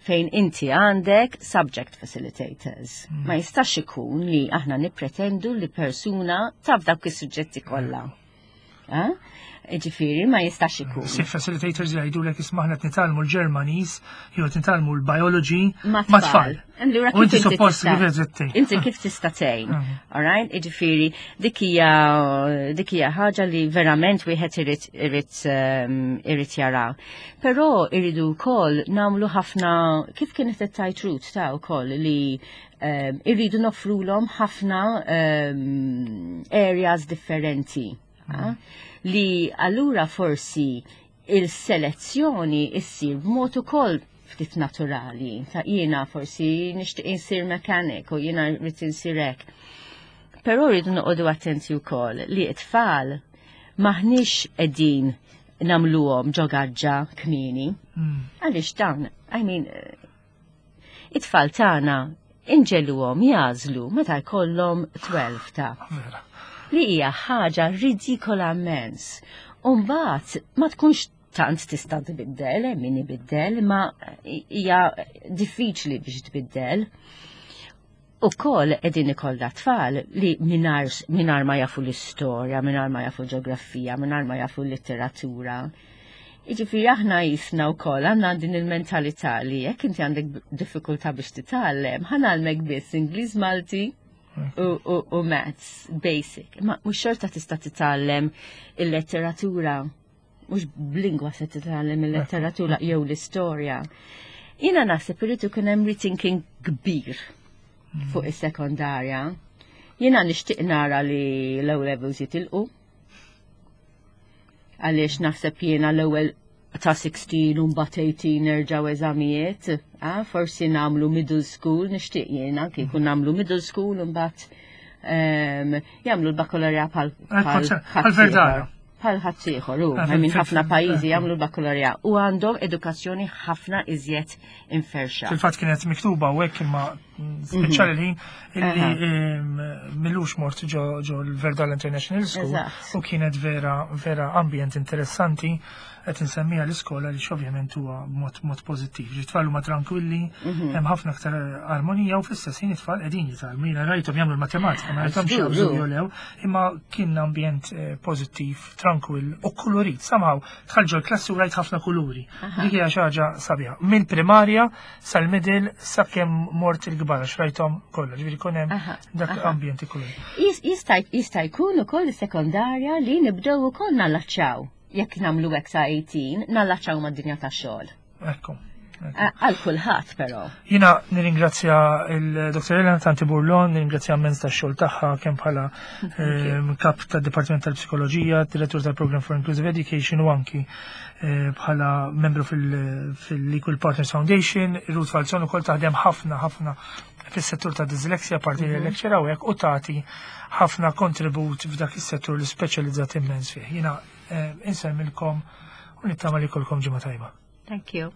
fejn inti għandek subject facilitators. Mm. Ma jistax ikun li aħna nipretendu li persuna taf dawk is-suġġetti kollha. Ġifieri, ma jistax ikun. Si facilitators jgħidu l isma', aħna nitgħallmu l-Ġermaniż, jew nitgħallmu l-biology ma tfal. U inti suppost kif Inti kif tista' tgħin. Mhm. Alright? Ġifieri, dik hija dik hija ħaġa li verament wieħed irid irid ehm, irid jara. Però irridu wkoll nagħmlu ħafna, kif kienet it-tight root ta' wkoll li ehm, irridu noffrulhom ħafna ehm, areas differenti. Ah, li allura forsi il-selezzjoni issir b'mod ukoll ftit naturali. Ta' jiena forsi nixtieq insir mechanic u jiena rrid insir hekk. Però rridu noqogħdu attenti wkoll li t-tfal maħniex qegħdin nagħmluhom ġo gaġġa kmieni. Hmm. Għaliex dan, I mean, it-tfal tagħna inġegħluhom jagħżlu meta jkollhom tnax ta' li hija ħaġa ridikola immens. Umbagħad ma tkunx tant tista' tbiddel, min ibiddel, ma hija diffiċli biex tbiddel. U koll qegħdin ikollna tfal li mingħajr ma jafu l-istorja, mingħajr ma jafu ġeografija, mingħajr ma jafu l-litteratura. Iġifieri aħna jisna u koll għandna din il-mentalità li jekk inti għandek diffikultà biex titgħallem, ħa ngħallmek biss Ingliż, Malti u, u, u maths basic. Ma mhux xorta tista' titgħallem il-letteratura, mhux b'lingwa se titgħallem il-letteratura jew l-istorja. Jiena naħseb irid ikun hemm rethinking kbir fuq is-sekondarja. Jiena nixtieq nara li l-O levels jitilqu. Għaliex naħseb jiena l-ewwel ta' sittax u mbagħad tmintax nerġgħu eżamijiet, ah, forsi nagħmlu middle school, nixtieq jiena kieku nagħmlu middle school u mbagħad um, jagħmlu l-bakalorja bħal bħal bħal ħaddieħor, u minn ħafna pajjiżi jagħmlu l-bakalorja u għandhom edukazzjoni ħafna iżjed inferxa. Fil-fatt kienet miktuba u hekk, imma speċjali l-ħin illi m'ilux mort ġo l-Verdala International School u kienet vera vera ambjent interessanti. Qed insemmiha l-iskola li ovvjament huwa mod mod pożittiv. It-tfal huma tranquilli, mhm. hemm ħafna aktar armonija u fl-istess ħin it-tfal qegħdin jitgħallmu. Jiena rajthom jagħmlu l-matematika, ma rajthomx jaqbżu jew, imma kien ambjent eh, pożittiv, tranquill u kolorit. Somehow dħalt ġol-klassi u rajt ħafna kuluri. Dik hija xi ħaġa sabiħa. Mill-primarja sal-middle sakemm mort il il-kbar għax rajthom kollha, ġifieri jkun hemm Aha, dak aha. ambjent ikun. Jis- Jista' jista' jkun ukoll sekondarja li nibdew ukoll nallaċċaw. Jekk nagħmlu hekk sa tmintax, nallaċċaw mad-dinja tax-xogħol. Ekku. Għal kulħadd però. Jiena nirringrazzja il-Dottor Elena Tanti Burlon, nirringrazzja immens tax-xogħol tagħha kemm bħala ehm, kap tad-Dipartiment tal-Psikoloġija, direttur tal-Program for Inclusive Education u anki eh, bħala membru fil- fil-Equal Partners Foundation. Ruth Falzon ukoll taħdem ħafna ħafna fis-settur ta' dyslexia, parti li lecturer hawnhekk u tagħti ħafna kontribut f'dak is-settur li speċjalizzat immens fih. Jiena eh, insellmilkom u nittama li jkollkom ġimgħa tajba. Thank you.